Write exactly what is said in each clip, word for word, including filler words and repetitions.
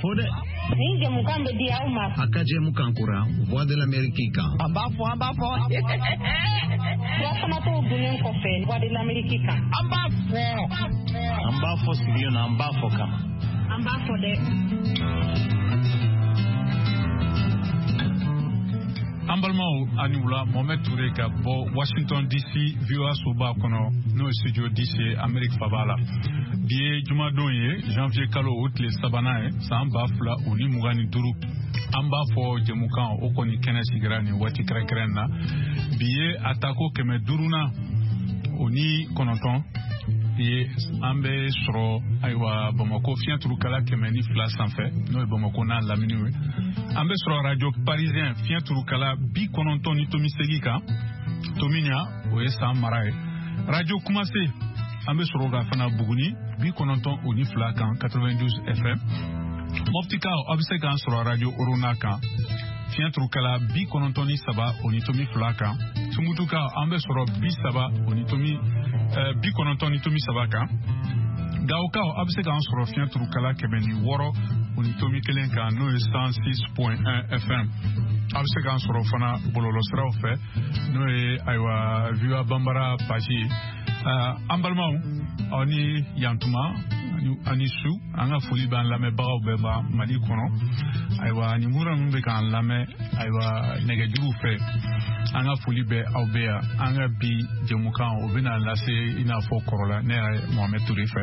fɔ dɛ. Nin jɛmukan bɛ di aw ma. A ka jɛmukan kura Voix de l'Amérique kan. An b'a fɔ, an b'a fɔ. Furafanatɔw dunnen kɔfɛ Voix de l'Amérique kan. An b'a fɔ. An b'a fɔ sigilen na, an b'a fɔ kama. An b'a fɔ dɛ. An balimaw, ani wula. Mohamed Touré ka bɔ Washington D C, V O A soba kɔnɔ, n'o ye studio D C, Amérique faba la. Bi ye jumadon ye, janvier kalo o tile sabanan ye, san ba fila o ni mugan ni duuru. An b'a fɔ jɛmukan o kɔni kɛnɛ sigira nin waati kɛrɛnkɛrɛn na. Bi ye a tako kɛmɛ duurunan o ni kɔnɔntɔn ye. An bɛ sɔrɔ, ayiwa, Bamako fiɲɛ turukala kɛmɛ ni fila sanfɛ, n'o ye Bamako n'a laminiw ye. An bɛ sɔrɔ Radio Parisien fiɲɛ turukala bi kɔnɔntɔn ni tomi segi kan, Tomiɲa, o ye San mara ye. Radio Kumase, an bɛ sɔrɔ ka fana Buguni bi kɔnɔntɔn o ni fila kan, quatre-vingt-douze F M. Mɔptikaw, aw bɛ se k'an sɔrɔ Radio Orona kan, fiɲɛ turukala bi kɔnɔntɔn ni saba o ni tomi fila kan. Tumutukaw, an bɛ sɔrɔ bi saba o ni tomi bi kɔnɔntɔn ni tomi saba kan. Gawokaw, aw bɛ se k'an sɔrɔ fiɲɛ turukala kɛmɛ ni wɔɔrɔ o ni tomi kelen kan, n'o ye cent six point un F M. Aw bɛ se k'an sɔrɔ fana bɔlɔlɔsiraw fɛ, n'o ye, ayiwa, V O A Banbara page ye. An balimaw, aw ni yantuma, ani su. An ka foli b'an lamɛnbagaw bɛɛ ma Mali kɔnɔ. Ayiwa, nin mura ninnu bɛ k'an lamɛn, ayiwa, nɛgɛjuruw fɛ, an ka foli bɛ aw bɛɛ yan. An ka bi jɛmukan o bɛna lase i n'a fɔ kɔrɔla, ne yɛrɛ Mohamed Touré fɛ.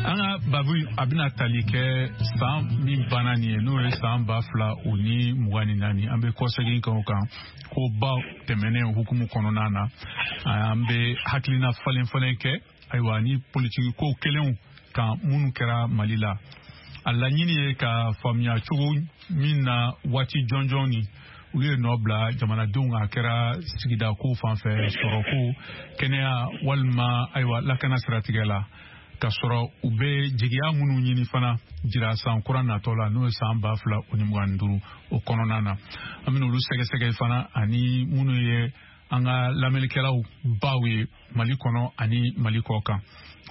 An ka babu a bɛna tali kɛ san min banna nin ye, n'o ye san ba fila o ni mugan ni naani. An bɛ kɔsegin kɛ o kan ko ba tɛmɛnen hukumu kɔnɔna na. An bɛ hakilina falen falen kɛ, ayiwa, ni politiki ko kelenw kan minnu kɛra Mali la. A laɲini ye ka faamuya cogo min na waati jɔnjɔn ni olu ye nɔ bila jamanadenw, a kɛra sigida ko fan fɛ, sɔrɔko, kɛnɛya walima, ayiwa, lakana siratigɛ la, ka sɔrɔ u bɛ jigiya minnu ɲini fana jira san kura natɔ la, n'o ye san ba fila o ni mugan ni duuru o kɔnɔna na. An bɛna olu sɛgɛsɛgɛ fana, ani minnu ye an ka lamɛnnikɛlaw baw ye Mali kɔnɔ ani Mali kɔ kan.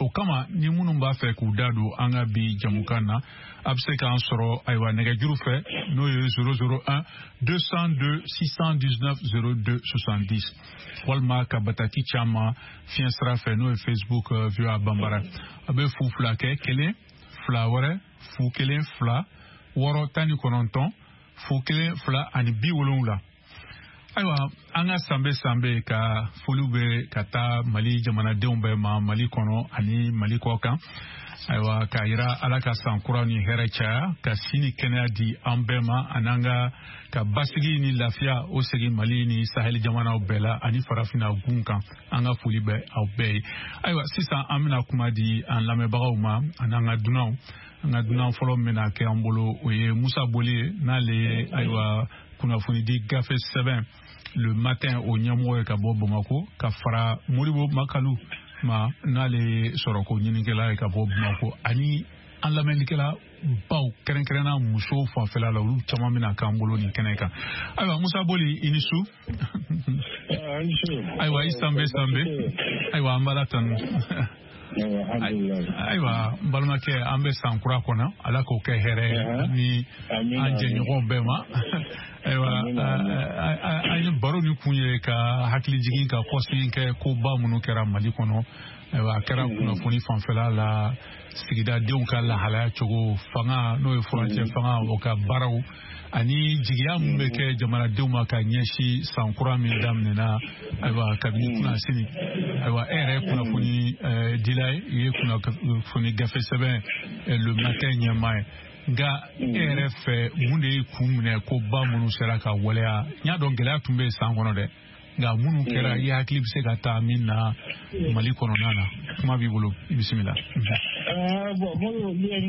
O kama, ni minnu b'a fɛ k'u da don an ka bi jamukan na, a bɛ se k'an sɔrɔ, ayiwa, nɛgɛjuru fɛ, n'o ye zéro zéro un deux cent deux six cent dix-neuf zéro deux soixante-dix, walima ka bataki caman fiɲɛ sira fɛ, n'o ye Facebook V O A Banbara. A bɛ fu fila kɛ kelen fila wɛrɛ fu kelen fila wɔɔrɔ tan ni kɔnɔntɔn fu kelen fila ani bi wolonwula. Ayiwa, an ka sanbe sanbe ka foliw bɛ ka taa Mali jamanadenw bɛɛ ma, Mali kɔnɔ ani Mali kɔ kan. Ayiwa, k'a yira Ala ka san kura ni hɛrɛ caya, ka si ni kɛnɛya di an bɛɛ ma, ani an ka ka basigi ni lafiya o segin Mali ni Saheli jamanaw bɛɛ la ani Farafinna gun kan. An ka foli bɛ aw bɛɛ ye. Ayiwa, sisan an bɛna kuma di an lamɛnbagaw ma ani an ka dunanw. An ka dunan fɔlɔ min bɛna kɛ an bolo, o ye Musa Boli ye, n'ale ye, ayiwa, kunnafonidi gafe sɛbɛn Le Matin o ɲɛmɔgɔ ye ka bɔ Bamako, ka fara Moribo Makalu ma, n'ale ye sɔrɔko ɲinikɛla ye ka bɔ Bamako, ani an lamɛnnikɛla baw, kɛrɛnkɛrɛnna musow fanfɛla la, olu caman bɛna k'an bolo nin kɛnɛ kan. Ayiwa, Musa Boli, i ni su. Ayiwa, i sanbe sanbe. Ayiwa, an b'Ala tanu. Ayiwa, n balimakɛ, an bɛ san kura kɔnɔ, Ala k'o kɛ hɛrɛ ye ni an jɛɲɔgɔnw bɛɛ ma. Ayiwa, an ye baro ni kun ye ka hakili jigin, ka kɔsegin kɛ koba minnu kɛra Mali kɔnɔ. Ayiwa, a kɛra kunnafoni fanfɛla la, sigidadenw ka lahalaya cogo, fanga, n'o ye furancɛ fanga o ka baaraw, ani jigiya min bɛ kɛ jamanadenw ma ka ɲɛsin san kura min daminɛna, ayiwa, kabini kunnasini. Ayiwa, e yɛrɛ ye kunnafoni dila ye, i ye kunnafoni gafe sɛbɛn Le Matin ɲɛmaa ye. Nka e yɛrɛ fɛ, mun de ye kun minɛ ko ba minnu sera ka waleya? N y'a dɔn gɛlɛya tun bɛ yen san kɔnɔ dɛ, nka minnu kɛra, i hakili bɛ se ka taa min na Mali kɔnɔna na, kuma b'i bolo, i bisimila. Bon, ni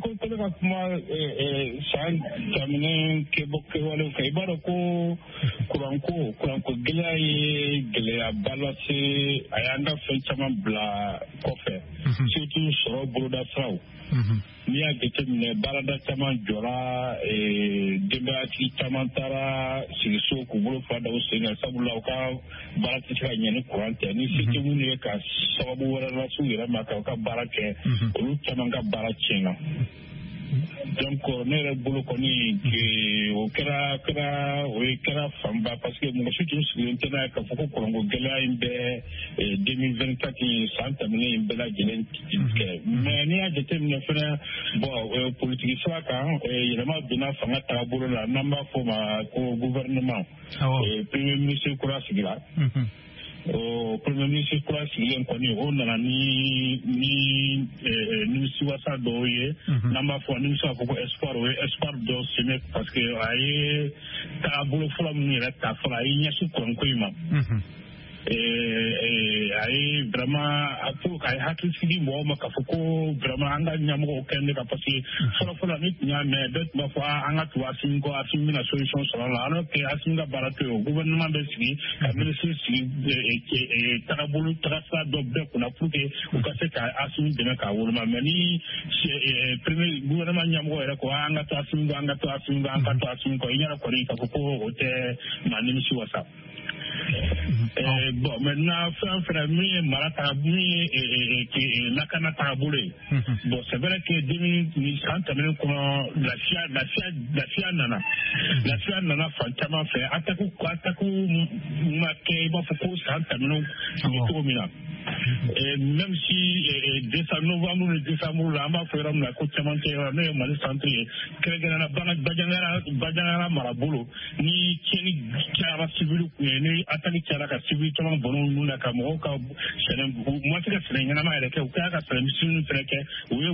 ko ko ne ka kuma san daminɛ kɛbɔ kɛwalew kan, i b'a dɔn ko kuranko kuranko gɛlɛya ye gɛlɛyaba lase. A y'an ka fɛn caman bila kɔfɛ, surtout sɔrɔ bolodasiraw. N'i y'a jateminɛ, baarada caman jɔra, denbayatigi caman taara sigi so k'u bolo fila da u sen kan, sabula u ka baara tɛ se ka ɲɛ ni kuran tɛ. Ni se tɛ minnu ye ka sababu wɛrɛ lase u yɛrɛ ma ka u ka baara kɛ, olu caman ka baara tiɲɛna. Donc ne yɛrɛ bolo kɔni o kɛra kɛra o ye kɛra fanba, parce que mɔgɔ si tun sigilen tɛ n'a ye k'a fɔ ko kuranko gɛlɛya in bɛ deux mille vingt-quatre in san tɛmɛnen in bɛɛ lajɛlen kɛ. Mais n'i y'a jateminɛ fɛnɛ, bon, politiki sira kan, yɛlɛma donna fanga taabolo la, n'an b'a fɔ o ma ko gouvernement. Premier ministre kura sigira. O premier ministre kura sigilen kɔni, o nana ni ni nimisiwasa dɔw ye, n'an b'a fɔ ni bɛ se k'a fɔ ko espoir, o ye espoir dɔ semé, parce que a ye taabolo fɔlɔ minnu yɛrɛ ta fɔlɔ, a y'i ɲɛsin kuranko in ma. A ye vraiment a pour k'a ye hakili sigi mɔgɔw ma k'a fɔ ko vraiment an ka ɲɛmɔgɔw kɛlen ka, parce que fɔlɔ fɔlɔ ni tun y'a mɛn, bɛɛ tun b'a fɔ an ka tugu Assimi kɔ, Assimi bɛna solution sɔrɔ a la, alors que Assimi ka baara tɛ o. Gouvernement bɛ sigi ka ministre sigi tagabolo tagasira dɔ bɛɛ kunna pour que u ka se ka Assimi dɛmɛ k'a woloma. Mais ni premier gouvernement ɲɛmɔgɔ yɛrɛ ko an ka to Assimi kɔ, an ka to Assimi kɔ, an ka to Assimi kɔ, i ɲɛna kɔni k'a fɔ ko o tɛ maa nimisi wasa. Bon, maintenant fɛn fɛn min ye mara taga, min ye lakana tagabolo ye, bon, c'est vrai que deux mille san tɛmɛnen kɔnɔ, lafiya lafiya lafiya nana lafiya nana fan caman fɛ. Attaque attaque ma kɛ i b'a fɔ ko san tɛmɛnen tun bɛ cogo min na, même si décembre, novembre ni décembre la, an b'a fɔ yɔrɔ min na ko cɛmancɛ yɔrɔ, n'o ye Mali centre ye, kɛrɛnkɛrɛnnenya Bandiagara Bandiagara marabolo, ni tiɲɛni cayara civil kun ye, ni attaque cayara ka civil caman bɔnɛ ninnu na, ka mɔgɔw ka sɛnɛ, u ma se ka sɛnɛ ɲɛnama yɛrɛ kɛ, u kɛra ka sɛnɛ misɛnninw fɛnɛ kɛ, u ye o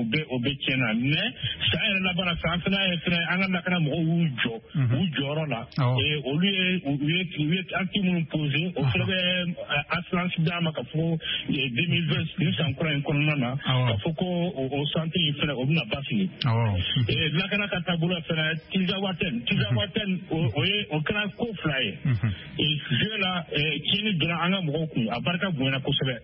bɛɛ o bɛɛ tiɲɛna. Mais san yɛrɛ laban na, san fɛnɛ ye fɛnɛ an ka lakana mɔgɔw y'u jɔ u jɔyɔrɔ la, olu ye u ye u ye acte minnu posé, o fɛnɛ bɛ assurance d'a ma k'a fɔ ko deux mille vingt ni san kura in kɔnɔna na, k'a fɔ ko o centre in fɛnɛ o bɛna basigi. Lakana ka taabolo fɛnɛ, Tinzaouatène Tinzaouatène o ye o kɛra ko fila ye. Jeu la, tiɲɛni donna an ka mɔgɔw kun, a barika bonyana kosɛbɛ.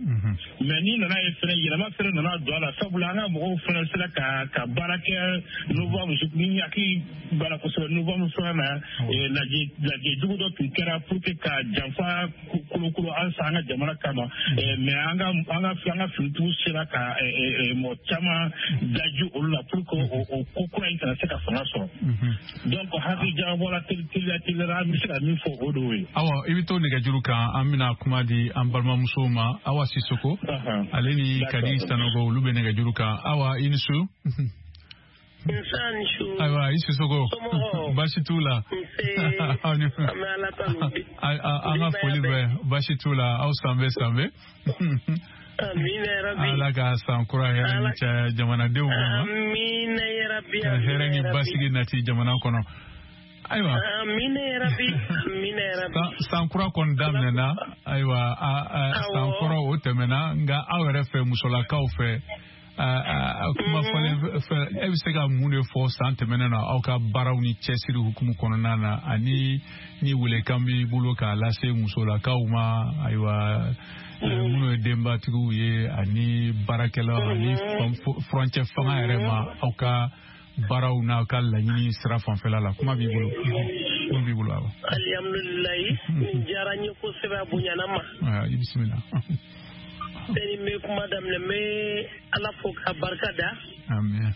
Mais n'i nana ye fɛnɛ, yɛlɛma fɛnɛ nana don a la, sabula an ka mɔgɔw fɛnɛ sera ka ka baara kɛ novembre, ni hakili baara kosɛbɛ novembre fɛnɛ na, lajɛ lajɛ jugu dɔ tun kɛra pour que ka janfa kolokolo an san an ka jamana kama. Mais an ka an ka an ka finitigiw sera ka mɔgɔ caman daji olu la pour que o ko kura in kana se ka fanga sɔrɔ. Donc hakili jagabɔ la, teliya teliya, an bɛ se ka min fɔ o de ye. Awa, i bɛ to nɛgɛjuru kan, an bɛna kuma di an balimamusow ma. Awa Sissoko ale ni Kadi Sanogo, olu bɛ nɛgɛjuru kan. Awa, i ni su. Ayiwa, i Sissoko, baasi t'u la? An ka foli bɛ, baasi t'u la, aw sanbɛ sanbɛ. Ala ka san kura hɛrɛ ni caya jamanadenw ma, ka hɛrɛ ni basigi nati jamana kɔnɔ. Ayiwa, san kura kɔni daminɛna, ayiwa, san kɔrɔ o tɛmɛna, nka aw yɛrɛ fɛ, musolakaw fɛ, kuma fɔlen fɛ, e bɛ se ka mun de fɔ san tɛmɛnen na aw ka baaraw ni cɛsiri hukumu kɔnɔna na, ani ni welekan b'i bolo k'a lase musolakaw ma, ayiwa, minnu ye denbatigiw ye ani baarakɛlaw ani furancɛ fanga yɛrɛ ma, aw ka baaraw n'aw ka laɲini sira fanfɛla la, kuma b'i bolo, kuma b'i bolo. Awa, alihamudulilayi, nin diyara n ye kosɛbɛ, a bonyana ma. I bisimila. Sani n bɛ kuma daminɛ, n bɛ Ala fo ka barika da. Amiina.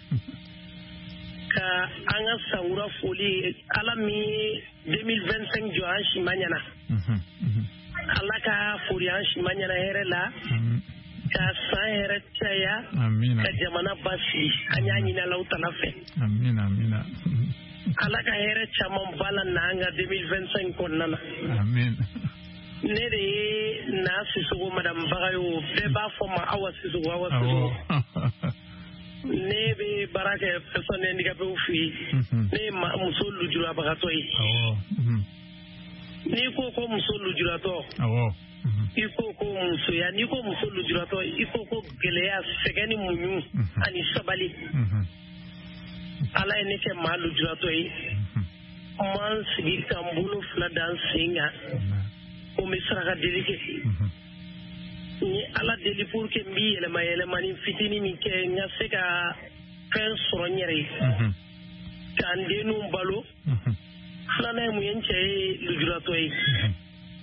Ka an ka sankura foli, Ala min ye deux mille vingt-cinq jɔ an si ma ɲɛna. Ala ka foli an si ma ɲɛna hɛrɛ la. Ka san hɛrɛ caya. Ka jamana basigi, an y'a ɲini Alahu tala fɛ. Amiina, amiina. Ala ka hɛrɛ caman ba la n'an ka deux mille vingt-cinq kɔnɔna na. Amiina. Ne de ye Na Sissoko, madame Bagayo, bɛɛ b'a fɔ ma Awa Sissoko, Awa Sissoko. Ne bɛ baara kɛ personne handicapée fɛ yen. Ne ye muso lujurabagatɔ ye. N'i ko ko muso lujuratɔ, i ko ko musoya, n'i ko muso lujuratɔ, i ko ko gɛlɛya, sɛgɛn ni muɲu ani sabali. Ala ye ne kɛ maa lujuratɔ ye. N m'an sigi ka n bolo fila da n sen kan ko n bɛ saraka deli kɛ. N ye Ala deli pour que n b'i yɛlɛma yɛlɛmani fitinin min kɛ, n ka se ka fɛn sɔrɔ n yɛrɛ ye, ka n denninw balo. Filanan ye mun ye, n cɛ ye lujuratɔ ye,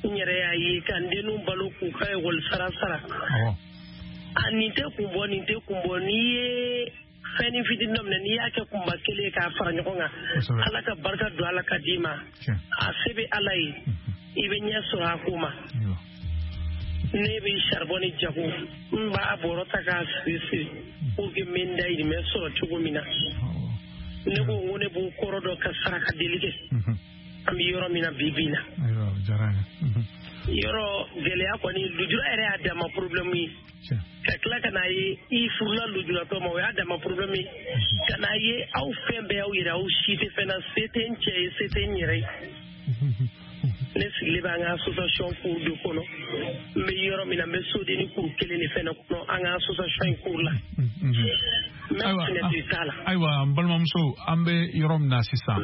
n yɛrɛ y'a ye, ka n denninw balo k'u ka ekɔli sara sara. A nin tɛ kun bɔ, nin tɛ kun bɔ. N'i ye fɛnnin fitinin dɔ minɛ n'i y'a kɛ kunba kelen ye k'a fara ɲɔgɔn kan Ala ka barika don Ala ka d'i ma a se bɛ Ala ye i bɛ ɲɛ sɔrɔ a ko ma ne bɛ charbon ni jago n b'a bɔrɔ ta k'a siri siri pour que n bɛ n dayirimɛ sɔrɔ cogo min na ne ko n ko ne b'o kɔrɔ dɔn ka saraka deli kɛ an bɛ yɔrɔ min na bi bi in na yɔrɔ gɛlɛya kɔni lujura yɛrɛ y'a dama problème ye ka tila ka n'a ye i furula lujuratɔ ma o y'a dama problème ye ka n'a ye aw fɛn bɛɛ y'aw yɛrɛ aw si tɛ fɛn na se tɛ n cɛ ye se tɛ n yɛrɛ ye ne sigilen bɛ an ka association cour de kɔnɔ n bɛ yɔrɔ min na n bɛ sodenni kuru kelen de fɛnɛ kɔnɔ an ka association in cour la n bɛ fenêtre t'a la. Ayiwa n balimamuso an bɛ yɔrɔ min na sisan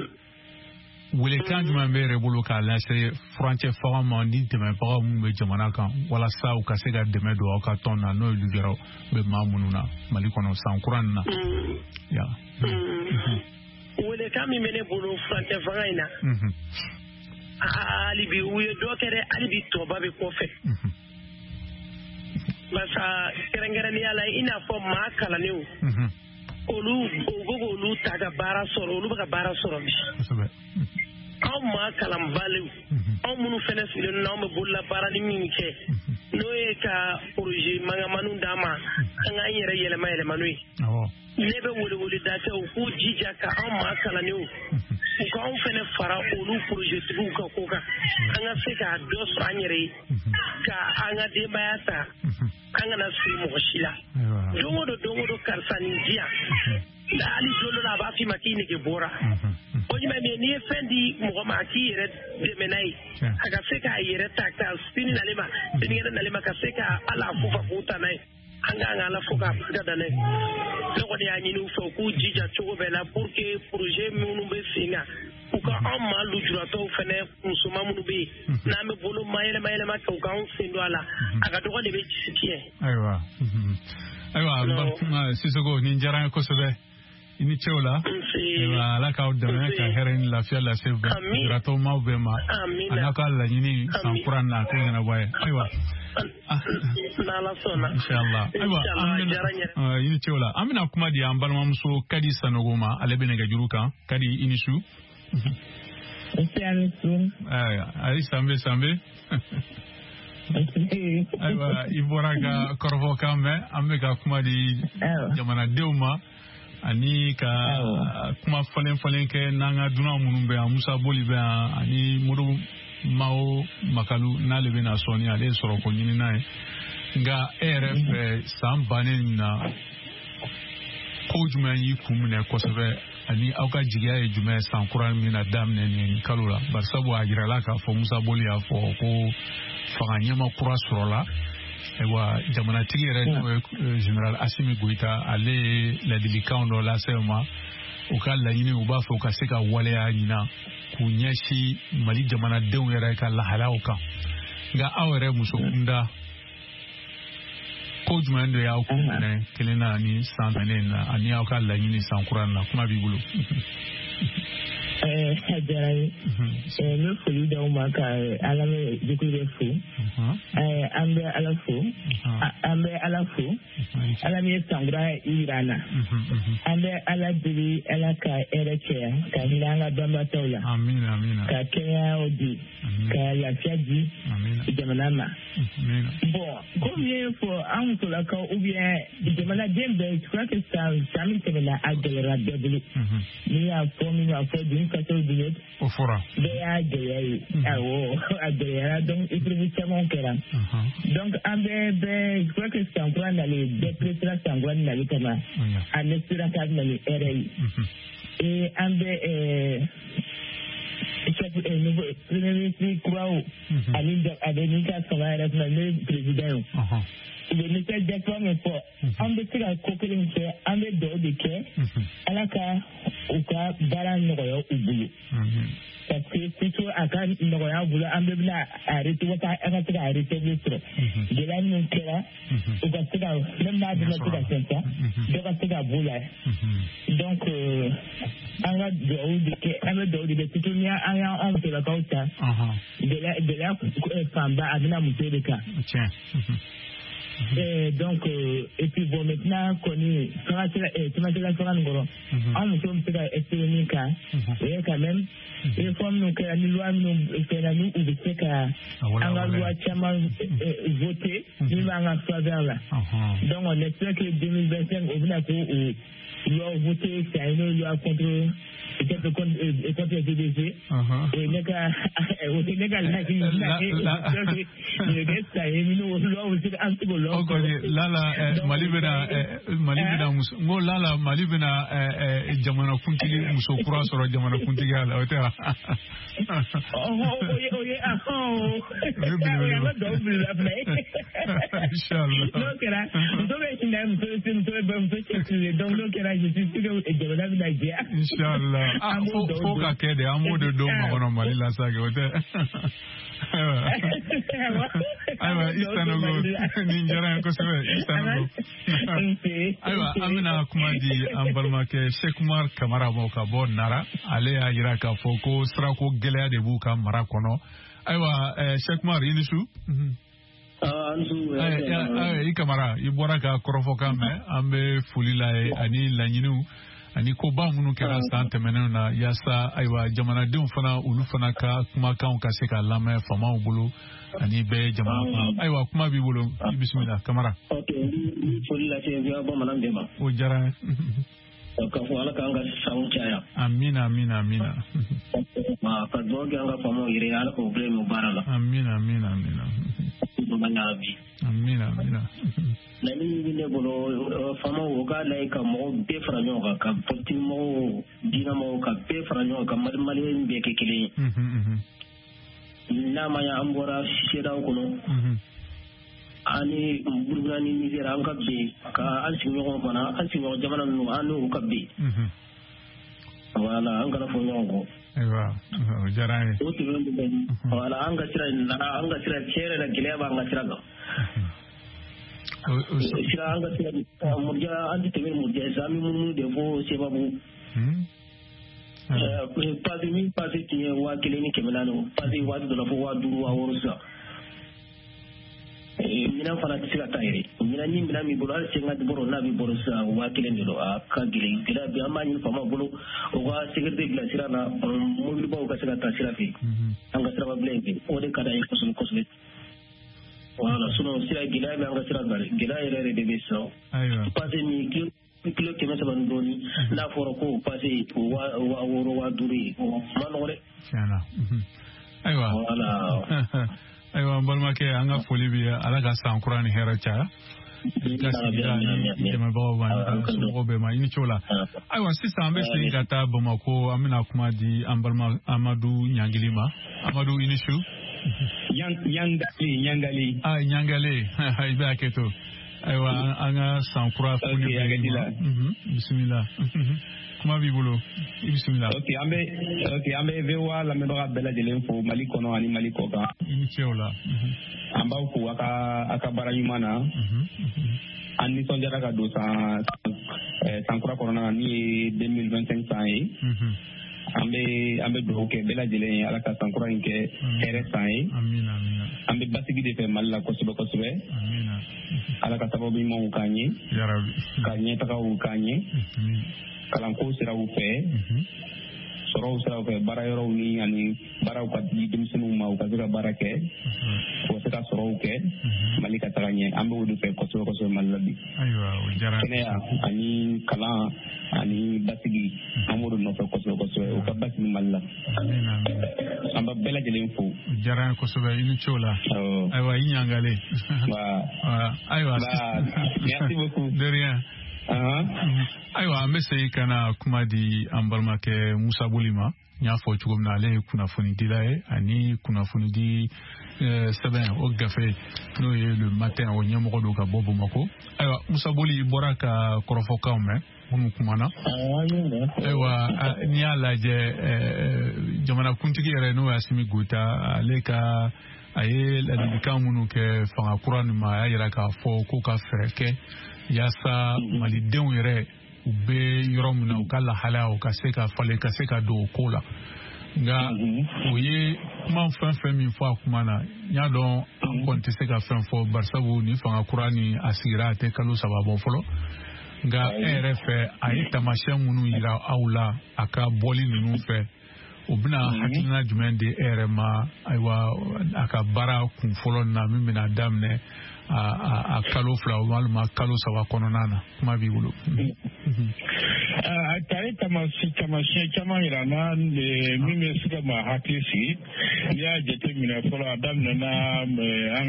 welekan jumɛn bɛ yɛrɛ bolo k'a lase furancɛ fanga ma ni dɛmɛbaga minnu bɛ jamana kan walasa u ka se ka dɛmɛ don aw ka tɔn na n'o ye lujuraw bɛ maa minnu na Mali kɔnɔ san kura nin na. Welekan min bɛ ne bolo furancɛ fanga in na. Hali bi u ye dɔ kɛ dɛ hali bi tɔba bɛ kɔfɛ barisa kɛrɛnkɛrɛnnenya la i n'a fɔ maa kalannenw olu u bɛ k'olu ta ka baara sɔrɔ olu bɛ ka baara sɔrɔ bi anw maa kalanbaliw anw minnu fɛnɛ sigilen don anw bɛ bolola baara ni min kɛ n'o ye ka projet mangamaniw d'an ma an k'an yɛrɛ yɛlɛma yɛlɛma n'o ye ne bɛ weleweleda kɛ u k'u jija ka anw maa kalannenw u k'anw fɛnɛ fara olu projetigiw ka ko kan an ka se k'a dɔ sɔrɔ an yɛrɛ ye ka an ka denbaya ta an kana siri mɔgɔ si la don o don don o don karisa nin di yan hali don dɔ la a b'a f'i ma k'i nege bɔra o jumɛn min ye n'i ye fɛn di mɔgɔ ma a k'i yɛrɛ dɛmɛ n'a ye a ka se k'a yɛrɛ ta ka sini nalen ma sinikɛnɛ nalen ma ka se ka ala fo ka k'u ta n'a ye an k'an ka ala fo k'a barika da n'a ye ne kɔni y'a ɲini u fɛ u k'u jija cogo bɛɛ la pour que projet minnu bɛ sen kan u ka anw maa lujuratɔw fɛnɛ musoman minnu bɛ yen n'an bɛ bolo ma yɛlɛma yɛlɛma kɛ u k'anw sen don a la a ka dɔgɔ de bɛ tiɲɛ. Ayiwa ayiwa Sisoko nin diyara n ye kosɛbɛ i ni ce o la ayiwa Ala k'aw dɛmɛ ka hɛrɛ ni lafiya lase lujuratɔw maaw bɛɛ ma a n'a ka laɲini san kura na k'o ɲɛnabɔ a ye ayiwa. Inshallah. Ayiwa an bɛna i ni ce o la an bɛna kuma di an balimamuso Kadi Sanogo ma ale bɛ nɛgɛjuru kan Kadi i ni su. Ayiwa ayi sanbe sanbe. Ayiwa i bɔra ka kɔrɔfɔkan mɛn an bɛ ka kuma di jamanadenw ma ani ka kuma falen falen kɛ n'an ka dunan minnu bɛ yan Musa Boli bɛ yan ani Modibo Mao Makalu n'ale bɛna sɔɔni ale ye sɔrɔko ɲinina ye nka e yɛrɛ fɛ san bannen in na ko jumɛn y'i kun minɛ kosɛbɛ ani aw ka jigiya ye jumɛn san kura min na daminɛ nin kalo la barisabu a jirala k'a fɔ Musa Boli y'a fɔ ko fanga ɲɛma kura sɔrɔla ayiwa jamanatigi yɛrɛ n'o ye général Assimi Goïta ale ye ladilikanw dɔ lase u ma u ka laɲini u b'a fɛ u ka se ka waleya ɲinan k'u ɲɛsin Mali jamanadenw yɛrɛ ka lahalaw kan nka aw yɛrɛ muso kunda ko jumɛn de y'aw kun minɛ kelen na ni san tɛmɛnen na ani aw ka laɲini san kura na kuma b'i bolo. A diyara n ye n bɛ foli d'aw ma ka ala jɛkulu bɛ fo an bɛ ala fo an bɛ ala fo ala min ye sankura yira an na an bɛ ala deli ala ka hɛrɛ caya ka hinɛ an ka banbaatɔw la ka kɛnɛyaw di ka lafiya di jamana ma bon komi n ye fɔ an musolakaw ou bien jamanaden bɛɛ je crois que san san min tɛmɛna a gɛlɛyara bɛɛ bolo n'i y'a fɔ min y'a fɔ dun ka t'o dun o fɔra bɛɛ y'a gɛlɛya ye awɔ a gɛlɛyara donc épreuve caman kɛra donc an bɛɛ bɛɛ je crois que san kura nalen bɛɛ presera san kura nali kama an espéra k'a bɛ na ni hɛrɛ ye et an bɛ chef nouveau premier ministre kuraw ani a bɛ min ka fanga yɛrɛ kunna n'o ye président ye u bɛ nisɔndiya kura min fɔ an bɛ se ka ko kelen min kɛ an bɛ dugawu de kɛ ala ka u ka baara nɔgɔya u bolo parce que plutôt a ka nɔgɔya u bolo an bɛɛ bɛna arrêter walasa an ka se ka arrêter sɔrɔ gɛlɛya minnu kɛra u ka se ka même n'a bɛna se ka fɛn ta dɔ ka se ka b'u la donc an ka dugawu de kɛ an bɛ dugawu de kɛ surtout ni an y'an musolakaw ta gɛlɛya gɛlɛya fanba a bɛna muso de kan. Et donc euh, et puis bon maintenant kɔni fanga sera cɛmancɛla fanga nin kɔrɔ an musow bɛ se ka espérer min kan o ye quand même réforme minnu kɛra ni loi minnu kɛra ni u bɛ se ka an ka loi caman voter min b'an ka faveur la. Donc on espère que deux mille vingt-cinq o bɛna k'o loi voter c'est une loi contre peut-être contre contre les D D G. O ye ne ka o ye ne ka laɲini ye kɛ sa ye minnu loi bɛ se ka an se k'o loi. O kɔni lala Mali bɛna Mali bɛna muso n ko lala Mali bɛna jamanakuntigi muso kura sɔrɔ jamanakuntigiya la o tɛ wa. O ye o ye ahɔn o ye an ka duwawu belebeleba fana ye. Inchallah. N'o kɛra muso bɛ hinɛ muso bɛ muso bɛ muso cɛsirilen donc n'o kɛra je suis sûr que jamana bɛna jɛya. Inchallah. Ah fo fo ka kɛ de an b'o de don makɔnɔ Mali la sa kɛ o tɛ. Ayiwa ayiwa i Sanogo nin diyara n ye kosɛbɛ i Sanogo. Ayiwa an bɛna kuma di an balimakɛ Cheikh Umar Kamara ma ka bɔ Nara. Ale y'a jira k'a fɔ ko sirako gɛlɛya de b'u ka mara kɔnɔ. Ayiwa Cheikh Umar i ni su. I Kamara i bɔra ka kɔrɔfɔkan mɛn an bɛ foli la ye ani laɲiniw ani koba minnu kɛra san tɛmɛnenw na yaasa ayiwa jamanadenw fana olu fana ka kumakanw ka se ka lamɛn faamaw bolo ani bɛɛ jamana kɔnɔ. Ayiwa kuma b'i bolo i bisimila Kamara. Ok n bɛ foli lase V O A bamanan bɛɛ ma. O diyara n ye. K'a fɔ Ala k'an ka sanw caya. Amina amina amina. Ka dugawu kɛ an ka faamaw yɛrɛ ye Ala k'o bila yen baara la. Amina amina amina. Amina amina. Laɲini min bɛ ne bolo faamaw o k'a lajɛ ka mɔgɔw bɛɛ fara ɲɔgɔn kan ka politique mɔgɔw diinɛ mɔgɔw ka bɛɛ fara ɲɔgɔn kan ka Mali maliyɛn bɛɛ kɛ kelen ye. N'a ma ɲɛ an bɔra CEDEAO kɔnɔ. Ani Burukina ni Nizɛri an ka bɛn ka an sigiɲɔgɔn fana an sigiɲɔgɔn jamana ninnu an n'u ka bɛn. Voilà an kana fɔ ɲɔgɔn kɔ. Ayiwa o diyara an ye. O tɛmɛnen kɔfɛ voilà an ka sira nana an ka sira tiɲɛ yɛrɛ la gɛlɛya b'an ka sira kan. Sira an ka sira Murja an tɛ tɛmɛ Murja sisan an bɛ munumunu de fo Sebabugu. Pase min pase tun ye waa kelen ni kɛmɛ naani pase waati dɔ la fo waa duuru waa wɔɔrɔ sisan. Minɛn fana tɛ se ka taa yɛrɛ minɛn ni minɛn b'i bolo hali cinquante bɔrɔ n'a b'i bolo sisan waa kelen de don a ka gɛlɛn gɛlɛya bɛ an b'a ɲini faamaw bolo u ka sécurité bila sira la mobilibaw ka se ka taa sira fɛ an ka siraba bilen fɛ o de ka d'an ye kosɛbɛ kosɛbɛ. Voilà sinon sira gɛlɛya bɛ an ka sira kan gɛlɛya yɛrɛ yɛrɛ de bɛ sisan. Pase min kilo kilo kɛmɛ saba ni dɔɔnin n'a fɔra ko pase waa wɔɔrɔ waa duuru ye o ma nɔgɔ dɛ. Tiɲɛ na. Ayiwa. Voilà. Ayiwa n balimakɛ an ka foli b'i ye Ala ka san kura ni hɛrɛ caya. I ka sigida ni dɛmɛbagaw ma ni ka somɔgɔw bɛɛ ma i ni ce o la. Ayiwa sisan an bɛ segin ka taa Bamakɔ an bɛna kuma di an balima Amadu Ɲangili ma. Amadu i ni su. Ɲangali Ɲangali. Ah Ɲangali i bɛ hakɛ to. Ayiwa an ka san kura foli bɛ la. Bisimila. Kuma b'i bolo i bisimila. Ok an bɛ ok an bɛ V O A lamɛnbaga bɛɛ lajɛlen fo Mali kɔnɔ ani Mali kɔ kan. I ni ce o la. An b'aw fo a ka a ka baara ɲuman na. An nisɔndiyara ka don san san kura kɔnɔna na min ye deux mille vingt-cinq san ye. An bɛ an bɛ dugawu kɛ bɛɛ lajɛlen ye Ala ka san kura in kɛ hɛrɛ san ye. Amina amina. An bɛ basigi de fɛ Mali la kosɛbɛ kosɛbɛ. Amina. Ala ka sababu ɲumanw k'an ye. Yarabi. Ka ɲɛtagaw k'an ye. Kalanko siraw fɛ sɔrɔw siraw fɛ baara yɔrɔw ni ani baaraw ka di denmisɛnninw ma u ka se ka baara kɛ u ka se ka sɔrɔw kɛ Mali ka taga ɲɛ an b'o de fɛ kosɛbɛ kosɛbɛ Mali la bi. Ayiwa o diyara. Kɛnɛya ani kalan ani basigi an b'o de nɔfɛ kosɛbɛ kosɛbɛ u ka basigi Mali la. Amina amina. An b'a bɛɛ lajɛlen fo. O diyara an ye kosɛbɛ i ni ce o la. Ayiwa i ɲangalen. Ayiwa. Merci beaucoup. De rien. Ayiwa an bɛ segin ka na kuma di an balimakɛ Musa Boli ma. N y'a fɔ cogo min na ale ye kunnafonidila ye ani kunnafonidi sɛbɛn o gafe n'o ye Le Matin o ɲɛmɔgɔ don ka bɔ Bamakɔ. Ayiwa Musa Boli i bɔra ka kɔrɔfɔkanw mɛn minnu kumana. Ayiwa n'i y'a lajɛ jamanakuntigi yɛrɛ n'o ye Asimi Goyita ale ka a ye ladilikan minnu kɛ fanga kura nin ma a y'a jira k'a fɔ ko ka fɛɛrɛ kɛ yaasa malidenw yɛrɛ u bɛ yɔrɔ min na u ka lahalaya u ka se ka falen ka se ka don o ko la. Nka o ye kuma fɛn fɛn min fɔ a kuma na n y'a dɔn An kɔni tɛ se ka fɛn fɔ barisabu ni fanga kura ni a sigira a tɛ kalo saba bɔ fɔlɔ. Nka e yɛrɛ fɛ a ye taamasiyɛn minnu yira aw la a ka bɔli ninnu fɛ, o bɛna hakilina jumɛn di e yɛrɛ ma, ayiwa, a ka baara kun fɔlɔ na min bɛna daminɛ a a kalo fila walima kalo saba kɔnɔna na? Kuma b'i bolo. A ye taamasiyɛn caman yira n na min bɛ se ka maa hakili sigi. N'i y'a jateminɛ fɔlɔ, a daminɛna an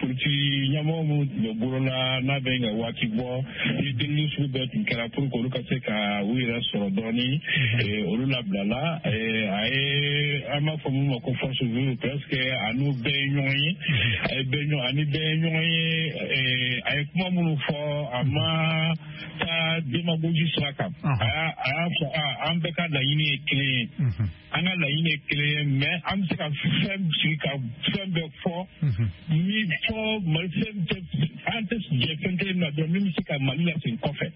politiki ɲɛmɔgɔ minnu tun bɛ bolo la n'a bɛ ka waati bɔ, ni delili sugu bɛɛ tun kɛra pour que olu ka se ka u yɛrɛ sɔrɔ dɔɔni, olu labilala. A ye, an b'a fɔ min ma ko force vive, presque a n'u bɛɛ ye ɲɔgɔn ye, a ye bɛɛ ɲɔgɔn ani bɛɛ ye ɲɔgɔn ye. A ye kuma minnu fɔ, a ma taa démagogie sira kan. A y'a fɔ an bɛɛ ka laɲini ye kelen ye, an ka laɲini ye kelen ye, mais an bɛ se ka fɛn sigi ka fɛn bɛɛ fɔ min fɔ Mali fɛn tɛ, an tɛ jɛ fɛn kelen na dɔrɔn min bɛ se ka Mali lasegin kɔfɛ,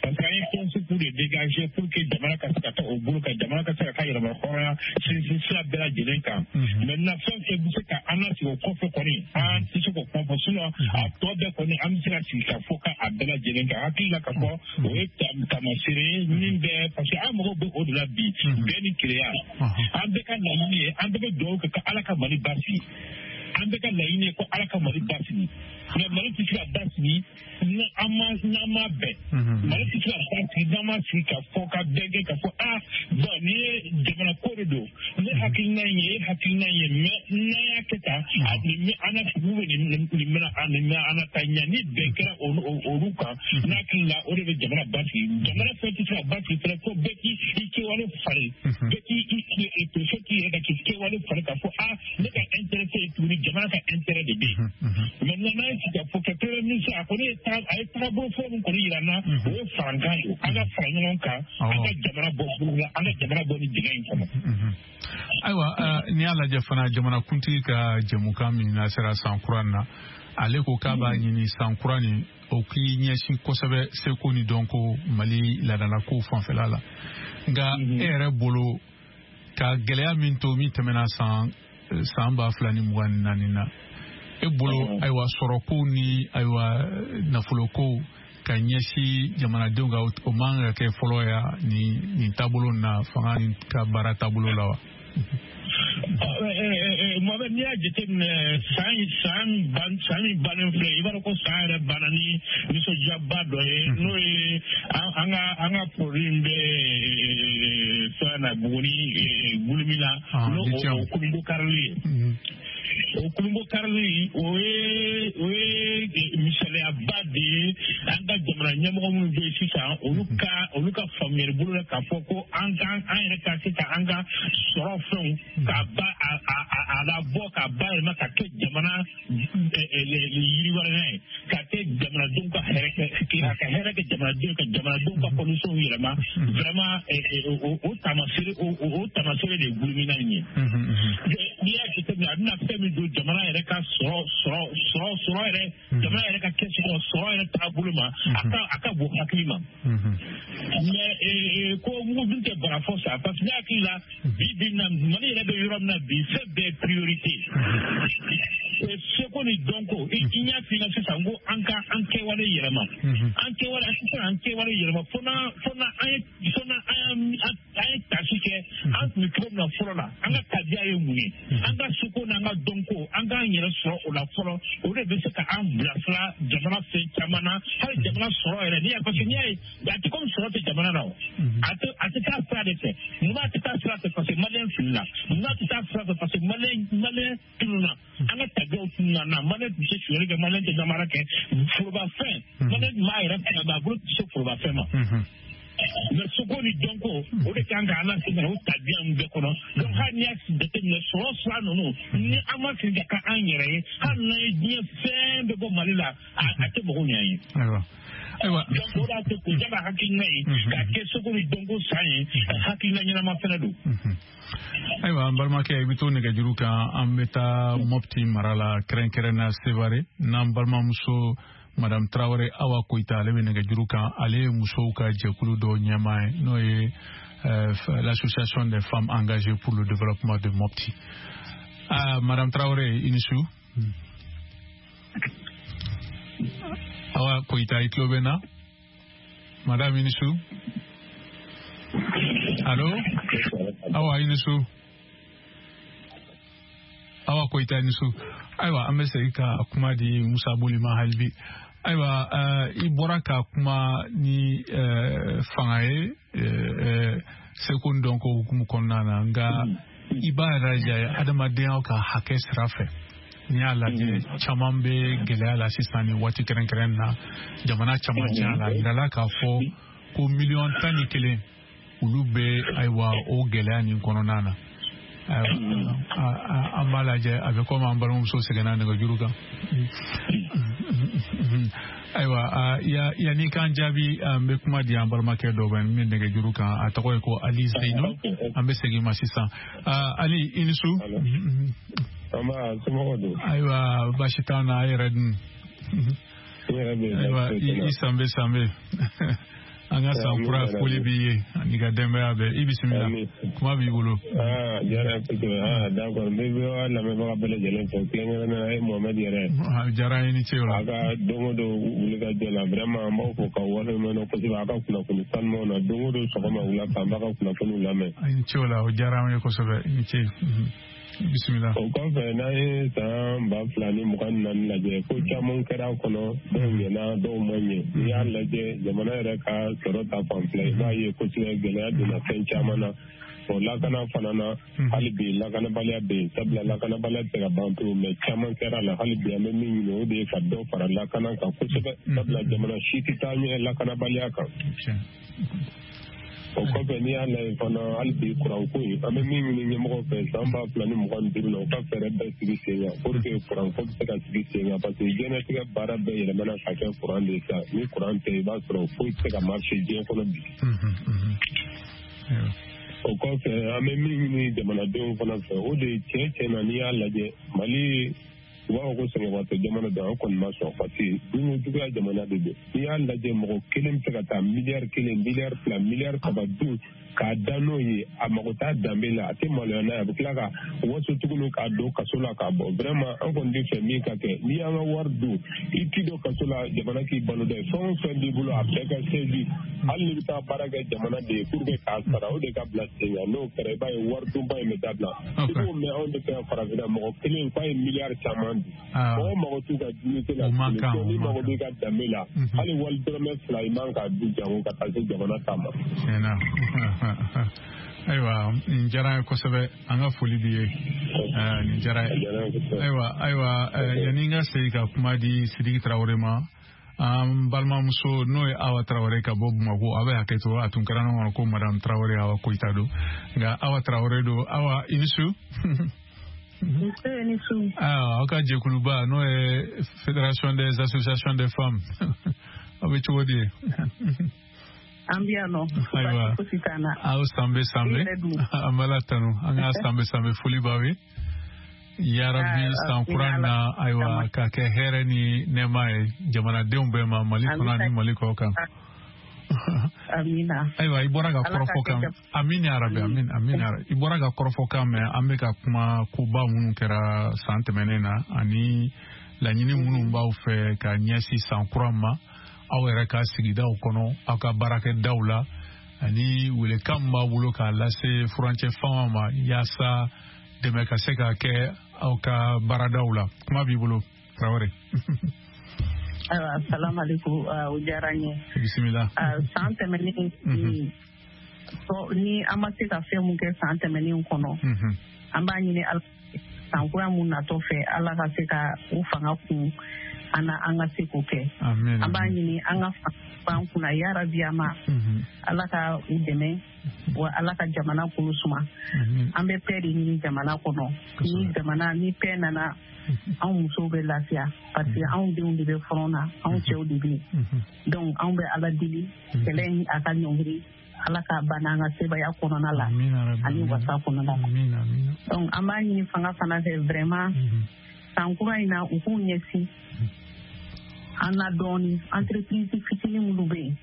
parce que an ye principe de dégager pour que jamana ka se ka taa o bolo kan, jamana ka se ka ka yɛrɛma hɔrɔnya sinsin sira bɛɛ lajɛlen kan. Maintenant fɛn fɛn bɛ se ka an lasegin o kɔfɛ kɔni, an tɛ se k'o kuma fɔ, sinon a tɔ bɛɛ kɔni an bɛ se ka sigi ka fɔ ka a bɛɛ lajɛlen kan. Hakili la ka fɔ o ye taamasere ye min bɛ, parce que an mago bɛ o de la bi, bɛn ni kelenya. An bɛɛ ka laɲini ye, an bɛɛ bɛ dugawu kɛ ka Ala ka Mali basigi. An bɛɛ ka laɲini ye ko Ala ka Mali basigi, mais Mali tɛ se ka basigi ni an ma n'an ma bɛn. Mali tɛ se ka basigi n'an ma sigi ka fɔ ka bɛn kɛ ka fɔ ah bon nin ye jamana ko de don, ne hakilina in ye e hakilina in ye, mais n'an y'a kɛ tan, nin bɛ an na sugu bɛ nin nin bɛna nin bɛ an na taa ɲɛ. Ni bɛn kɛra olu kan, n'a hakili la o de bɛ jamana basigi. Jamana fɛn tɛ se ka basigi fɛnɛ fo bɛɛ k'i i kɛwale falen, bɛɛ k'i i préfet k'i yɛrɛ ka k'i kɛwale falen ka fɔ ah ne ka intérêt tɛ yen tuguni, jamana ka intérêt de bɛ yen. Maintenant n'an ye sigi ka fɔ kɛ premier ministre a kɔni ye a ye tagabolo fɔlɔ min kɔni yira n na, o ye farankan ye, an ka fara ɲɔgɔn kan, an ka jamana bɔ bolo la, an ka jamana bɔ nin dingɛ in kɔnɔ. Ayiwa, n'i y'a lajɛ fana, jamanakuntigi ka jɛmukan min na sera san kura na, ale ko k'a b'a ɲini san kura nin o k'i ɲɛsin kosɛbɛ seko ni dɔnko Mali laadalakow fanfɛla la. Nka e yɛrɛ bolo, ka gɛlɛya min to min tɛmɛna san san ba fila ni mugan ni naani na, e bolo ayiwa sɔrɔko ni ayiwa nafoloko ka ɲɛsin jamanadenw ka, o man ka kɛ fɔlɔ ya nin nin taabolo na, fanga ni ka baara taabolo la wa? Mohamed, n'i y'a jateminɛ san san ban san min bannen filɛ, i b'a dɔn ko san yɛrɛ banna ni nisɔndiyaba dɔ ye, n'o ye an ka an ka produit bɛ fɛn na Buguni Gulumina, n'o o kulunbo karili ye. O kulunbo karili o ye o ye misaliyaba de ye an ka jamana ɲɛmɔgɔ minnu bɛ yen sisan, olu ka olu ka faamuyali bolo la k'a fɔ ko an ka an yɛrɛ ka se ka an ka sɔrɔ fɛnw k'a ba a a a labɔ k'a bayɛlɛma ka kɛ jamana yiriwalenya ye, ka kɛ jamanadenw ka hɛrɛ kɛ, ka hɛrɛ kɛ jamanadenw ka jamanadenw ka condition yɛlɛma. Vraiment o taamasere o o taamasere de ye Gulumina in ye. N'i y'a jateminɛ, a bɛna fɛn min don jamana yɛrɛ ka sɔrɔ sɔrɔ sɔrɔ sɔrɔ yɛrɛ, jamana yɛrɛ ka kɛsu kɔnɔ sɔrɔ yɛrɛ taabolo ma, a ka a ka bon hakili ma. Mais ko mugu dun tɛ bara fɔ sa, parce que ne hakili la bi bi in na Mali yɛrɛ bɛ yɔrɔ min na bi, fɛn bɛɛ ye priorité. Seko ni dɔnko, i y'a f'i ɲɛna sisan ko an ka an kɛwale yɛlɛma, an kɛwale an tɛ se k'an kɛwale yɛlɛma fo n'a fo n'a an ye fo n'a an an ye tasi kɛ an tun bɛ cogo min na fɔlɔ la, an ka tabiya ye mun ye, an ka seko n'an ka dɔnko, an k'an yɛrɛ sɔrɔ o la fɔlɔ, o de bɛ se ka an bilasira jamana fɛn caman na, hali jamana sɔrɔ yɛrɛ. N'i y'a parce que n'i y'a ye a tɛ komi sɔrɔ tɛ jamana na o, a tɛ a tɛ taa sira de fɛ. Munna a tɛ taa sira fɛ? Parce que maliyɛn filila. Munna a tɛ taa sira fɛ? Parce que maliyɛn maliyɛn tununna, an ka tabiyaw tununna na. Maliyɛn tun tɛ sonyali kɛ, maliyɛn tɛ namara kɛ, forobafɛn maliyɛn tun b'a yɛrɛ fɛ, a bolo tɛ se forobafɛn ma. Mais seko ni dɔnko o de kan k'an lase ka na o tabiya in bɛɛ kɔnɔ. Donc hali n'i y'a jateminɛ sɔrɔ sira ninnu, ni an ma sigi ka kɛ an yɛrɛ ye, hali n'an ye diɲɛ fɛn bɛɛ bɔ Mali la, a tɛ mɔgɔw ɲɛ ye. Ayiwa, donc o de y'a to k'o ka hakilina ye k'a kɛ seko ni dɔnko san ye, hakilina ɲɛnama fɛnɛ don. Ayiwa, an balimakɛ, i bɛ to nɛgɛjuru kan, an bɛ taa Mopti mara la, kɛrɛnkɛrɛnnenya Sevare, n'an balimamuso Madame Traoré Awa Koita, ale bɛ nɛgɛjuru kan. Ale ye musow ka jɛkulu dɔ ɲɛmaa ye, n'o ye l'association des femmes engagées pour le développement de Mopti. Ah, Madame Traoré, i ni su. Awa Koyita, i tulo bɛ n na? Madame, i ni su. Allo? Awa, i ni su. Awa Koyita, i ni su. Ayiwa, an bɛ segin ka kuma di Musa Boli ma hali bi. Ayiwa, i bɔra ka kuma ni fanga ye seko ni dɔnko hukumu kɔnɔna na, nka i b'a yɛrɛ lajɛ adamadenya ka hakɛ sira fɛ. N'i y'a lajɛ, caman bɛ gɛlɛya la sisan nin waati kɛrɛnkɛrɛn na, jamana caman caya la, a yirala k'a fɔ ko miliyɔn tan ni kelen olu bɛ ayiwa o gɛlɛya nin kɔnɔna na. An b'a lajɛ, a bɛ komi an balimamuso seginna nɛgɛjuru kan. Ayiwa, yanni k'an jaabi, an bɛ kuma di an balimakɛ dɔ ma min nɛgɛjuru kan, a tɔgɔ ye ko Ali Zeyino. An bɛ segin ma sisan. Ali, i ni su. Ayiwa, baasi t'an na, a yɛrɛ dun? Ayiwa, i sanbe sanbe. An ka san kura foli b'i ye ani ka denbaya bɛɛ. I bisimila, kuma b'i bolo. Aa, diyara n ye kosɛbɛ. Aa, d'accord, n bɛ V O A lamɛnbaga bɛɛ lajɛlen fo, kɛrɛnkɛrɛnnenya la e Mohamed yɛrɛ. A diyara n ye, ni ce o la. A ka don o don wulikajɔ la, vraiment an b'aw fo k'aw waleɲuman dɔn kosɛbɛ a ka kunnafoni sanumanw na. Don o don sɔgɔma wula fɛ, an b'a ka kunnafoniw lamɛn. I ni ce o la, o diyara an ye kosɛbɛ. I ni ce. Bisimila. O kɔfɛ, n'an ye san ba fila ni mugan ni naani lajɛ, ko caman kɛra a kɔnɔ, dɔw ɲɛna, dɔw ma ɲɛ. N'i y'a lajɛ, jamana yɛrɛ ka sɔrɔ ta fan fila, i b'a ye kosɛbɛ gɛlɛya donna fɛn caman na. O lakana fana na, hali bi lakanabaliya bɛ yen, sabula lakanabaliya tɛ se ka ban pewu, mɛ caman kɛra la. Hali bi an bɛ min ɲini, o de ye ka dɔ fara lakana kan kosɛbɛ, sabula jamana si tɛ taa ɲɛ lakanabaliya kan. O kɔfɛ, n'i y'a lajɛ fana, hali bi kuranko in, an bɛ min ɲini ɲɛmɔgɔw fɛ san ba fila ni mugan ni duuru la, u ka fɛɛrɛ bɛɛ sigi sen kan pour que kuranko bɛ se ka sigi sen kan, parce que diɲɛlatigɛ baara bɛɛ yɛlɛmana ka kɛ kuran de ye sisan. Ni kuran tɛ, i b'a sɔrɔ foyi tɛ se ka marcher diɲɛ kɔnɔ bi. O kɔfɛ, an bɛ min ɲini jamanadenw fana fɛ, o de ye tiɲɛ tiɲɛ na, n'i y'a lajɛ Mali, u b'a fɔ ko sɛgɛnbaatɔ jamana don, an kɔni ma sɔn, parce que dunko juguya jamana de don. N'i y'a lajɛ, mɔgɔ kelen bɛ se ka taa miliyari kelen, miliyari fila, miliyari saba dun k'a da n'o ye, a mago t'a danbe la, a tɛ maloya n'a ye, a bɛ tila ka waso tuguni k'a don kaso la k'a bɔ. Vraiment, an kɔni bɛ fɛ min ka kɛ, n'i y'an ka wari dun, i t'i don kaso la, jamana k'i balo dɛ. Fɛn o fɛn b'i bolo, a bɛɛ ka saisi. Hali n'i bɛ taa baara kɛ jamana de ye pour que k'a sara, o de ka bila sen kan. N'o kɛra, i b'a ye wari dunba in bɛ dabila. I b'o mɛn anw de fɛ yan farafinna, mɔgɔ kelen k'a ye miliyari caman dun. Mɔgɔ mago t'u ka dignité la, n'i mago b'i ka danbe la, hali wali dɔrɔmɛ fila i man k'a dun jango ka taa se jamana ta ma. Ayiwa, nin diyara n ye kosɛbɛ, an ka foli b'i ye, nin diyara n ye. Ayiwa, ayiwa, yanni n ka segin ka kuma di Sidiki Tarawele ma, an balimamuso n'o ye Awa Tarawele ka bɔ Bamakɔ, a bɛ hakɛ to, a tun kɛra ne kɔnɔ ko Madame Tarawele Awa Koyita don, nka Awa Tarawele don. Awa, i ni su. Ni su. Aw ka jɛkuluba n'o ye Fédération des associations des femmes, aw bɛ cogo di? An bɛ yan nɔ. Ayiwa, aw sanbe sanbe, an b'a la tanu, an ka sanbe sanbe foli b'aw ye. Yarabi san kura na, ayiwa, ka kɛ hɛrɛ ni nɛɛma ye jamanadenw bɛɛ ma, Mali kɔnɔ ani Mali kɔ kan. Amina. Ayiwa, i bɔra ka kɔrɔfɔ kan. Amin ya rabi, amin, amin ya rabi. I bɔra ka kɔrɔfɔ kan mɛn, an bɛ ka kuma koba minnu kɛra san tɛmɛnen na ani laɲini minnu b'aw fɛ ka ɲɛsin san kura ma, aw yɛrɛ ka sigidaw kɔnɔ, aw ka baarakɛdaw la, ani welekan min b'aw bolo k'a lase furancɛ fanga ma yaasa dɛmɛ ka se ka kɛ aw ka baaradaw la. Kuma b'i bolo, Tarawele. Ayiwa, salaamaaleykum, o diyara n ye. Bisimila. San tɛmɛnen, ni an ma se ka fɛn mun kɛ san tɛmɛnen kɔnɔ, an b'a ɲini Ala san kura mun natɔ fɛ, Ala ka se ka u fanga kun an na, an ka se k'o kɛ. An b'a ɲini an ka fanga kunna yarabi a ma, Ala ka u dɛmɛ, wa Ala ka jamana kolo suma. An bɛ paix de ɲini jamana kɔnɔ. Ni jamana ni paix nana, anw musow bɛ lafiya, parce que anw denw de bɛ front na, anw cɛw de bɛ yen. Donc anw bɛ Ala deli, kɛlɛ in a ka ɲɔngiri, Ala k'a ban an ka sebaya kɔnɔna la ani wasa kɔnɔna la. Donc an b'a ɲini fanga fana fɛ vraiment, san kura in na, u k'u ɲɛsin an na dɔɔni, entreprise fitinin minnu bɛ yen,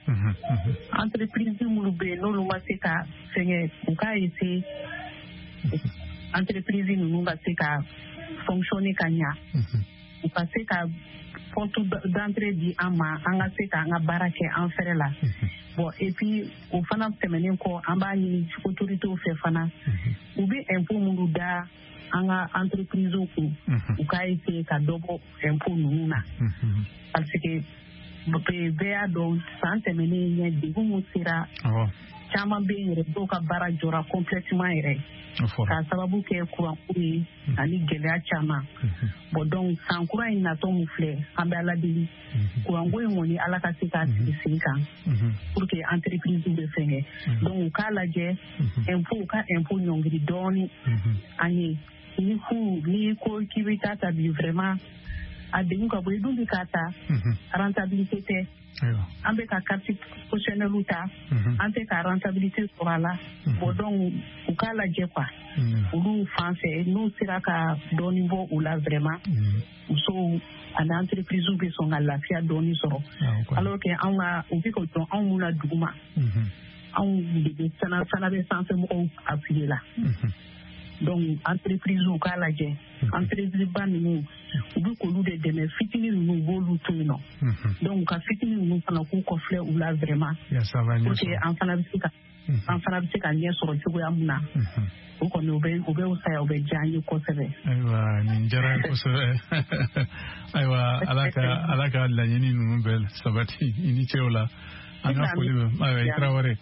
entreprise minnu bɛ yen n'olu ma se ka fɛngɛ, u k'a essayer entreprise ninnu ka se ka fonctionner ka ɲa, u ka se ka porte d'entrée di an ma, an ka se k'an ka baara kɛ an fɛrɛ la. Bon, et puis o fana tɛmɛnen kɔ, an b'a ɲini autorités fɛ fana, u bɛ impôt minnu da an ka entreprise kun, u k'a essayer ka dɔ bɔ impôt ninnu na, parce que bɛɛ y'a dɔn san tɛmɛnen ɲɛ degun min sera caman bɛ yen yɛrɛ, dɔw ka baara jɔra complètement yɛrɛ k'a sababu kɛ kuranko ye ani gɛlɛya caman. Bon, donc san kura in natɔ min filɛ, an bɛ Ala deli kuranko in kɔni Ala ka se k'a sigi sen kan pour que entreprise bɛ fɛnkɛ. Donc u k'a lajɛ impôt, u ka impôt ɲɔngiri dɔɔni an ye. Ni fu n'i ko k'i bɛ taa ta bi, vraiment a degun ka bon, i dun bɛ k'a ta rentabilité tɛ. An bɛ ka carte professionnelle ta, an tɛ ka rentabilité sɔrɔ a la. Bon, donc u k'a lajɛ quoi, olu fan fɛ n'u sera ka dɔɔni bɔ u la, vraiment musow ani entreprise bɛ sɔn ka lafiya dɔɔni sɔrɔ. Alors que anw ka u bɛ ka dɔn anw mun na duguma, anw de bɛ fana fana bɛ sanfɛ mɔgɔw appuyer la. Donc entreprise u k'a lajɛ, entreprise ba ninnu u bɛ k'olu de dɛmɛ, fitinin ninnu u b'olu to yen nɔ. Donc u ka fitinin ninnu fana k'u kɔfilɛ u la vraiment, pour que an fana bɛ se ka an fana bɛ se ka ɲɛ sɔrɔ cogoya min na. O kɔni o bɛ o bɛ fisaya, o bɛ diya an ye kosɛbɛ. Ayiwa, nin diyara n ye kosɛbɛ. Ayiwa, Ala ka Ala ka laɲini ninnu bɛɛ sabati, i ni ce o la. An ka foli bɛ ayiwa i Tarawele.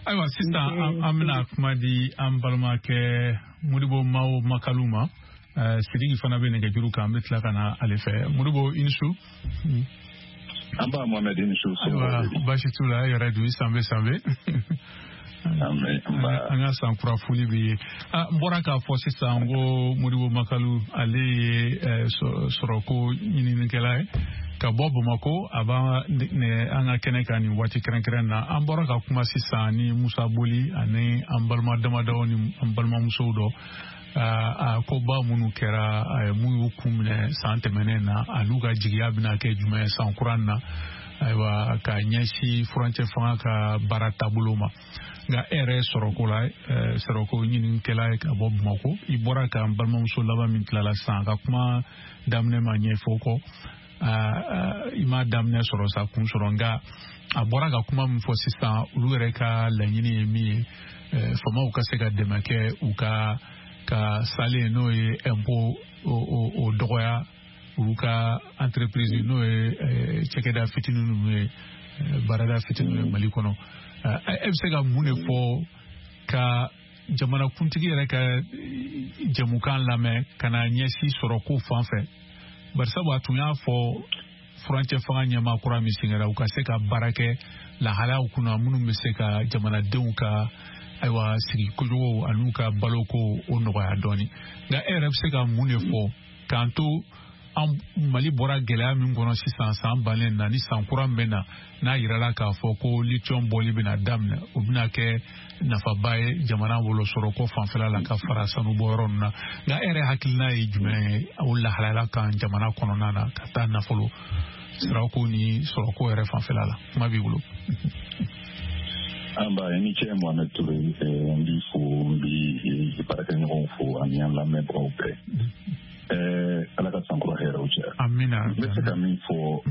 Ayiwa, sisan an bɛna kuma di an balimakɛ Modibo Mao Makalu ma. Sidiki fana bɛ nɛgɛjuru kan, an bɛ tila ka na ale fɛ. Modibo, i ni su. An b'a Mohamed, i ni su. Ayiwa, baasi t'u la, e yɛrɛ dun, i sanbe sanbe. An ka san kura foli b'i ye. N bɔra k'a fɔ sisan ko Modibo Makalu, ale ye sɔrɔko ɲininikɛla ye ka bɔ Bamakɔ, a b'an an ka kɛnɛ kan nin waati kɛrɛnkɛrɛn na. An bɔra ka kuma sisan ni Musa Boli ani an balima damadɔ ni an balimamusow dɔ, a koba minnu kɛra, mun y'u kun minɛ san tɛmɛnen na, an'u ka jigiya bɛna kɛ jumɛn ye san kura na, ayiwa ka ɲɛsin furancɛ fanga ka baara taabolo ma. Nka e yɛrɛ ye sɔrɔko la, sɔrɔko ɲininikɛla ye ka bɔ Bamakɔ, i bɔra ka n balimamuso laban min tilala sisan, a ka kuma daminɛ ma ɲɛfɔ kɔ, i m'a daminɛ sɔrɔ sa kun sɔrɔ, nka a bɔra ka kuma min fɔ sisan, olu yɛrɛ ka laɲini ye min ye, faamaw ka se ka dɛmɛ kɛ u ka ka salen, n'o ye impôt o dɔgɔya olu ka entreprise, n'o ye cakɛda fitinin ninnu ye, baarada fitinin ye Mali kɔnɔ. E bɛ se ka mun de fɔ ka jamanakuntigi yɛrɛ ka jɛmukan lamɛn ka na ɲɛsin sɔrɔko fan fɛ? Barisabu a tun y'a fɔ furancɛ fanga ɲɛmaa kura min sigira, u ka se ka baara kɛ lahalayaw kunna minnu bɛ se ka jamanadenw ka ayiwa sigi kojugu an'u ka baloko o nɔgɔya dɔɔni. Nka e yɛrɛ bɛ se ka mun de fɔ k'an to an Mali bɔra gɛlɛya min kɔnɔ sisan san bannen na, ni san kura min bɛ na, n'a yirala k'a fɔ ko lithium bɔli bɛna daminɛ, o bɛna kɛ nafaba ye jamana bolo sɔrɔko fanfɛla la ka fara sanubɔyɔrɔ ninnu na. Nka e yɛrɛ hakilina ye jumɛn ye o lahalaya kan jamana kɔnɔna na ka taa nafolo sirako ni sɔrɔko yɛrɛ fanfɛla la? Kuma b'i bolo. An ba, i ni ce Mohamed Touré, n b'i fo, n b'i baarakɛɲɔgɔnw fo ani an lamɛnbagaw bɛɛ. Ala ka sankura hɛrɛw cɛ. Amina. N bɛ se ka min fɔ,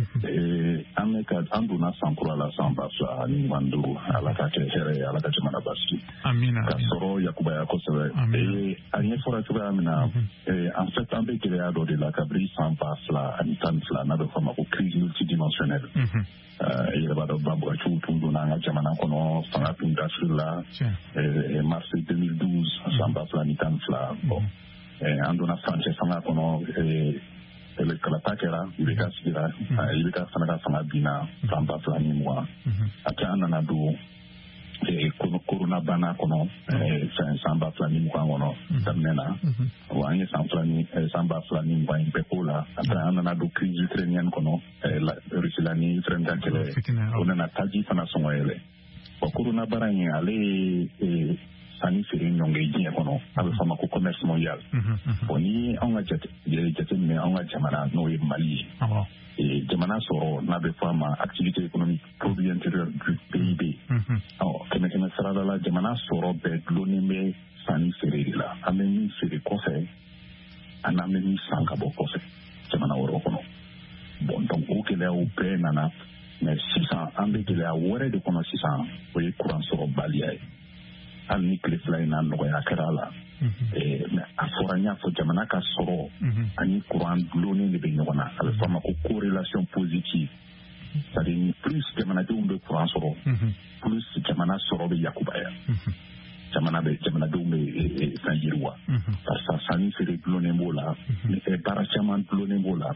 an bɛ ka an donna sankura la san ba fila ani mugan ni duuru, Ala ka kɛ hɛrɛ ye, Ala ka jamana basigi. Amina. Ka sɔrɔ yakubaya kosɛbɛ. A ɲɛfɔra cogoya min na, en fait an bɛ gɛlɛya dɔ de la kabini san ba fila ani tan ni fila, n'a bɛ fɔ a ma ko crise multidimensionnelle. I yɛrɛ b'a dɔn banbagaciw tun donna an ka jamana kɔnɔ, fanga tun dasiri la mars deux mille douze, san ba fila ni tan ni fila. Bon, an donna furancɛ fanga kɔnɔ, kalata kɛra, I B K sigira, I B K fana ka fanga binna san ba fila ni mugan. A tɛ an nana don corona bana kɔnɔ san ba fila ni mugan kɔnɔ daminɛ na, wa an ye san fila ni san ba fila ni mugan in bɛɛ k'o la. Après an nana don crise ukrainienne kɔnɔ, Russie la ni Ukraine ka kɛlɛ, o nana taji fana sɔngɔ yɛlɛ. Bon, corona bana in ale ye sanni feere ɲɔngiri diɲɛ kɔnɔ, a bɛ fɔ a ma ko commerce mondial. Bon, ni anw ka jate jateminɛ anw ka jamana, n'o ye Mali ye, jamana sɔrɔ n'a bɛ fɔ a ma activité économique produit intérieur brut P I B, ɔ kɛmɛ kɛmɛ sarada la, jamana sɔrɔ bɛɛ dulonnen bɛ sanni feere de la. An bɛ min feere kɔfɛ, ani an bɛ min san ka bɔ kɔfɛ jamana wɛrɛw kɔnɔ. nana. Mais sisan an bɛ gɛlɛya wɛrɛ de kɔnɔ sisan, o ye kuran sɔrɔbaliya ye. Hali ni tile fila in na nɔgɔya kɛra a la, mais a fɔra, n y'a fɔ, jamana ka sɔrɔ ani kuran dulonnen de bɛ ɲɔgɔn na. A bɛ fɔ a ma ko corrélation positive, c'est-à-dire plus jamanadenw bɛ kuran sɔrɔ, plus jamana sɔrɔ bɛ yakubaya, jamana bɛ jamanadenw bɛ fɛn yiriwa, barisa sanni feere dulonnen b'o la, baara caman dulonnen b'o la.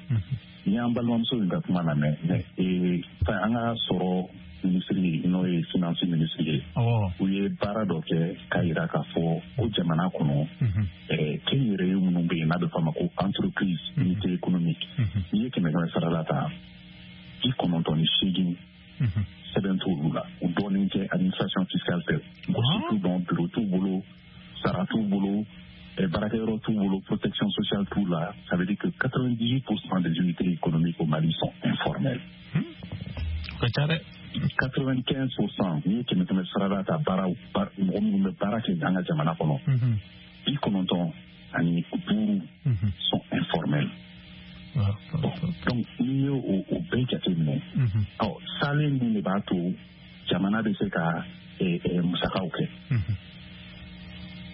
Ni y'an balimamuso in ka kuma lamɛn, mais fɛn an ka sɔrɔ minisiri, n'o ye finance minisiri ye, u ye baara dɔ kɛ k'a yira k'a fɔ ko jamana kɔnɔ kɛnyɛrɛye minnu bɛ yen, n'a bɛ fɔ a ma ko entreprise unité économique, n'i ye kɛmɛ kɛmɛ sara la ta, bi kɔnɔntɔn ni seegin sɛbɛn t'olu la, u dɔɔnin tɛ administration fiscale fɛ, mɔgɔ si t'u dɔn, bureau t'u bolo, sara t'u bolo, baarakɛyɔrɔ t'u bolo, protection sociale t'u la. Ça veut dire que quatre-vingt-dix-huit pour cent des unités économiques au Mali sont informelles. quatre-vingt-quinze pour cent, n'i ye kɛmɛ kɛmɛ sara la ta, baara mɔgɔ minnu bɛ baara kɛ an ka jamana kɔnɔ, bi kɔnɔntɔn ani duuru sont informels. Bon, donc n'i ye o bɛɛ jateminɛ, ɔ salen min de b'a to jamana bɛ se ka musakaw kɛ,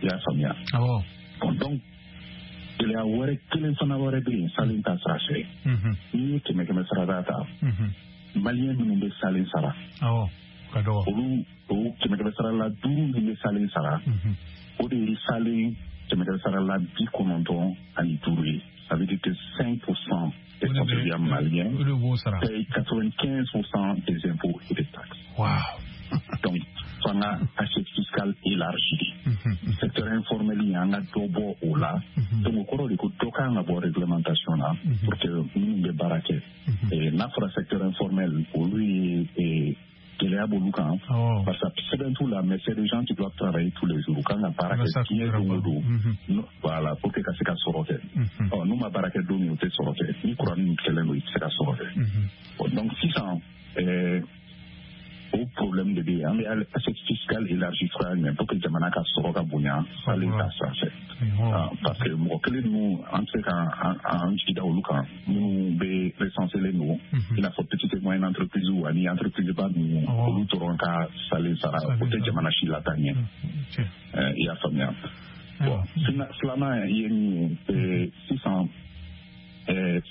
i y'a faamuya? Bon, donc gɛlɛya wɛrɛ kelen fana wɛrɛ bɛ yen salen ta sira fɛ. N'i ye kɛmɛ kɛmɛ sarada ta, maliyɛn minnu bɛ salen sara, olu o kɛmɛ kɛmɛ sara la duuru min bɛ salen sara, o de ye salen kɛmɛ kɛmɛ sara la bi kɔnɔntɔn ani duuru ye. Ça veut dire que cinq pour cent des contribuables maliens payent quatre-vingt-quinze pour cent des impôts et des taxes. Wow. Donc, fanga assiette fiscale élargie. Secteur informel, il y en a dɔ bɔ o la. Donc, o kɔrɔ de ko dɔ kan ka bɔ réglementation na pour que minnu bɛ baara kɛ. N'a fɔra secteur informel, olu ye gɛlɛya b'olu kan, parce que sɛbɛn t'u la, mais c'est des gens qui doivent travailler tous les jours. U kan ka baara kɛ diɲɛ don o don, voilà, pour que ka se ka sɔrɔ kɛ. Ɔ n'u ma baara kɛ don min, u tɛ sɔrɔ kɛ. Ni kuran ninnu kɛlen don, i tɛ se ka sɔrɔ kɛ. Donc sisan o problème de bɛ yen. An bɛ assiette fiscale élargie cogoya jumɛn pour que jamana ka sɔrɔ ka bonya salen ta sira fɛ? Parce que mɔgɔ kelen ninnu, an tɛ se ka an jigi da olu kan minnu bɛ recenselen don, i n'a fɔ petite et moyenne entreprise ani entreprise ba ninnu, olu dɔrɔn ka salen sara, o tɛ jamana si lataa ɲɛ. I y'a faamuya? Bon, filanan ye min ye sisan,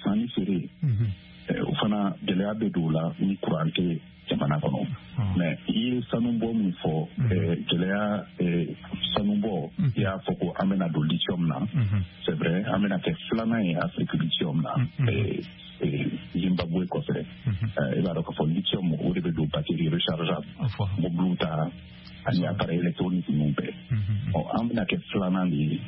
sanni feere, o fana gɛlɛya bɛ don o la ni kuran tɛ jamana kɔnɔ. Mais i ye sanubɔ min fɔ, gɛlɛya sanubɔ, i y'a fɔ ko an bɛna don lithium na. C'est vrai, an bɛna kɛ filanan ye Afrique lithium na, Zimbabwe kɔfɛ. I b'a dɔn k'a fɔ lithium, o de bɛ don batterie rechargeable, mobiliw ta ani appareil électronique ninnu bɛɛ. Ɔ an bɛna kɛ filanan de ye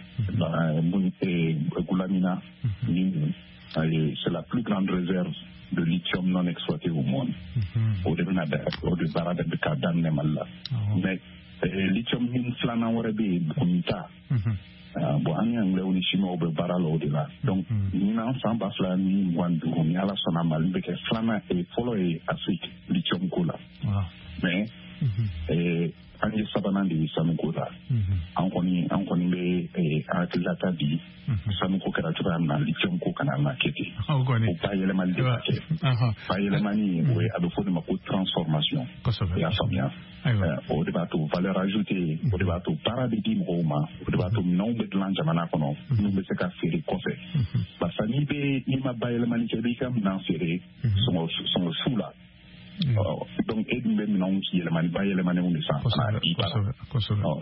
Goulamina ni, c'est la plus grande réserve de lithium non exploité au monde. O de bɛna o de baara de bɛ ka daminɛ Mali la. Mais lithium min filanan wɛrɛ bɛ yen, Buguni ta. Bon, an ni anglais ni chinois bɛ baara la o de la. Donc ɲinan san ba fila ni mugan ni duuru, ni Ala sɔnna, Mali bɛ kɛ filanan fɔlɔ ye Afrique lithium ko la. Mais an ye sabanan de ye sanuko la. An kɔni an kɔni bɛ hakililata di, sanuko kɛra cogoya min na, lithium ko kana na kɛ ten. O bayɛlɛmali de ka kɛ. Bayɛlɛmani, o ye a bɛ fɔ o de ma ko transformation. I y'a faamuya? O de b'a to valeur ajoutée, o de b'a to baara bɛ di mɔgɔw ma, o de b'a to minɛnw bɛ dilan jamana kɔnɔ minnu bɛ se ka feere kɔfɛ. Barisa n'i bɛ n'i ma bayɛlɛmali kɛ, i b'i ka minɛn feere sɔngɔ sɔngɔ su la. Donc e dun bɛ minɛnw yɛlɛmani bayɛlɛmanenw de san ka na i bara.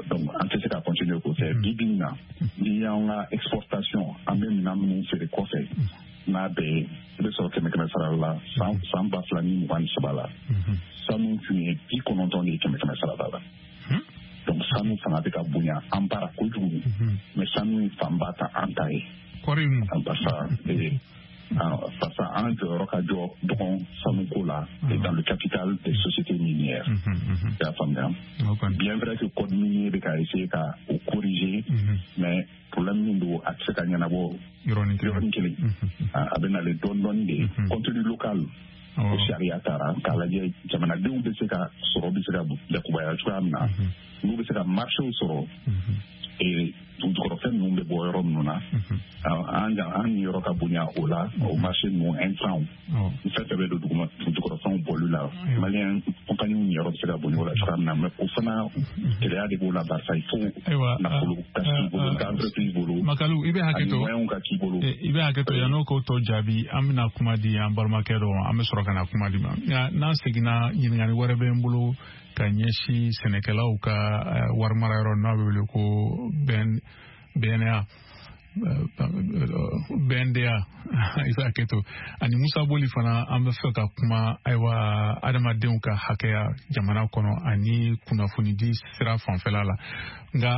Donc an tɛ se ka continuer k'o kɛ. Bi bi in na, n'i y'an ka exportation, an bɛ minɛn minnu feere kɔfɛ, n'a bɛɛ ye, i bɛ sɔrɔ kɛmɛ kɛmɛ sara la, san san ba fila ni mugan ni saba la, sanu tun ye bi kɔnɔntɔn de ye kɛmɛ kɛmɛ sara la. Donc sanu fanga bɛ ka bonya an bara kojugu, mais sanu ye fanba ta an ta ye. Barisa parce que an jɔyɔrɔ ka jɔ dɔgɔn sanuko la dans le capital des sociétés minières. I y'a faamuya? Bien vrai que code minier bɛ ka essayer ka o corriger, mais problème min don, a tɛ se ka ɲɛnabɔ yɔrɔnin kelen. A bɛ nalen dɔɔni dɔɔni de. Contenu local, o sariya taara k'a lajɛ jamanadenw bɛ se ka sɔrɔ bɛ se ka yakubaya cogoya min na, n'u bɛ se ka marché sɔrɔ. dugujukɔrɔfɛn ninnu bɛ bɔ yɔrɔ minnu na, an an niyɔrɔ ka bonya o la, o marché ninnu intrants fɛn fɛn bɛ don duguma dugujukɔrɔfɛnw bɔli la, malien compagnie niyɔrɔ bɛ se ka bonya o la cogoya min na. Mais o fana gɛlɛya de b'o la, barisa il faut nafolo ka k'i bolo, ka entreprise bolo. Makalu, i bɛ hakɛ to, ani moyens ka k'i bolo. I bɛ hakɛ to, yan'o k'o tɔ jaabi, an bɛna kuma di an balimakɛ dɔ ma, an bɛ sɔrɔ ka na kuma di ma. Nka n'an seginna, ɲininkali wɛrɛ bɛ n bolo ka ɲɛsin sɛnɛkɛlaw ka wari mara yɔrɔ n'a bɛ wele ko B N A B N D A, i b'a kɛ to, ani Musa Boli fana, an bɛ fɛ ka kuma ayiwa adamadenw ka hakɛya jamana kɔnɔ ani kunnafonidi sira fanfɛla la. Nka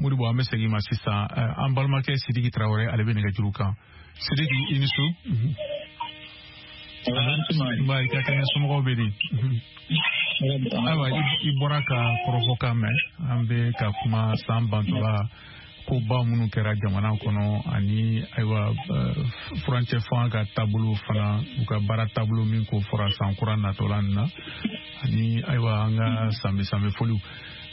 Modibo, an bɛ segin ma sisan, an balimakɛ Sidiki Tarawele, ale bɛ nɛgɛjuru kan. Sidiki, i ni su. Nba, i ka kɛnɛ, somɔgɔw bɛ di? Ayiwa, i bɔra ka kɔrɔfɔkan mɛn, an bɛ ka kuma san bantɔla koba minnu kɛra jamana kɔnɔ, ani ayiwa furancɛ fanga ka taabolo fana, u ka baara taabolo min ko fɔra san kura natɔla nin na, ani ayiwa an ka sanbɛ sanbɛ foliw.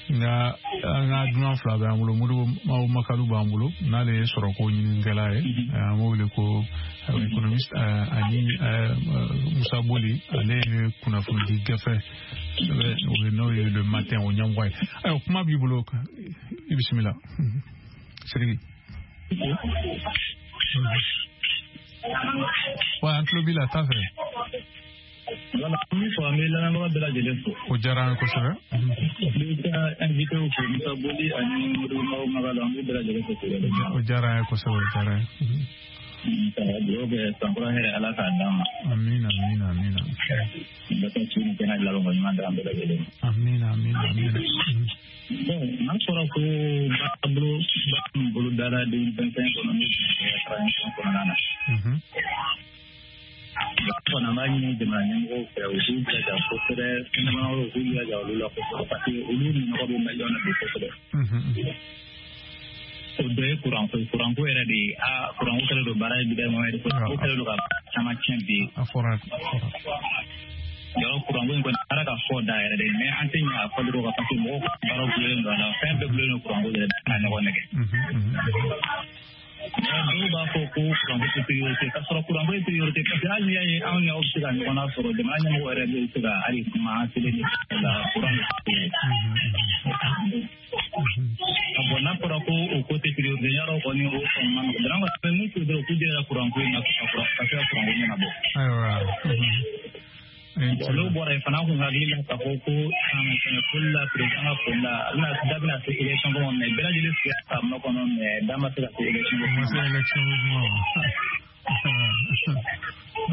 Nka an ka dunan fila bɛ an bolo, Modibo Makalu b'an bolo, n'ale ye sɔrɔko ɲininikɛla ye, an b'o wele ko économiste, ani Musa Boli, ale ye kunnafonidi gafe n'o ye Le Matin o ɲɛmɔgɔ ye. Ayiwa, kuma b'i bolo, i bisimila Sidiki. Wa an tulo b'i la, taa fɛ. Voilà, an b'i fo, an bɛ lamɛnbaga bɛɛ lajɛlen fo. O diyara an ye kosɛbɛ. N bɛ ka invité fo, Musa Boli ani Modibo Makalu, an b'u bɛɛ lajɛlen fo. O diyara an ye kosɛbɛ, o diyara an ye. Ka dugawu kɛ, sankura hɛrɛ, Ala k'a d'an ma. Amina, amina, amina. Bɛɛ ka su ni kɛnɛ labanko ɲuman d'an bɛɛ lajɛlen ma. Amina, amina, amina. Bon, n'a fɔra ko baara bolo baara min bolo dara deux mille vingt et un kɔnɔ, n'o transition kɔnɔna na. Fana b'a ɲini jamana ɲɛmɔgɔw fɛ, u k'u jilaja kosɛbɛ, fɛn u k'u jilaja olu la kosɛbɛ, parce que olu nɔgɔ bɛ maliyɛnw na bi kosɛbɛ. O dɔ ye kuranko ye, kuranko yɛrɛ de ye, aa, kuranko kɛlen don baara ye bi dɛ, Mohamed, kuranko kɛlen don ka caman tiɲɛ bi. A fɔra, a fɔra. Yɔrɔ kuranko in kɔni, baara ka fɔ da yɛrɛ de, mais an tɛ ɲɛ a fɔli kɔ, parce que mɔgɔw ka baaraw gulonnen don a la, fɛn bɛɛ gulonnen don kuranko yɛrɛ ka ɲɔgɔn nɛgɛ. Mais dɔw b'a fɔ ko kuranko tɛ priorité, k'a sɔrɔ kuranko ye priorité, parce que hali n'i y'a ye anw ni aw bɛ se ka ɲɔgɔn lasɔrɔ, jamana ɲɛmɔgɔ yɛrɛ bɛ se ka hali kuma télé ni la, kuran de ye. Bon, n'a fɔra ko o ko tɛ priorité, yarɔ kɔni o kɔni ma nɔgɔn. Donc an bɛ mun fɔ dɔrɔn, k'u jija kuranko in na, ka se ka kuranko ɲɛnabɔ. Ayiwa. N'o bɔra yen fana, an kun hakili la k'a fɔ ko san foli la, président ka foli la, a bɛna da bɛna se élection ko ma, mais bɛɛ lajɛlen sigira k'a makɔnɔ, mais da ma se ka se élection ko ma. Se élection ko ma.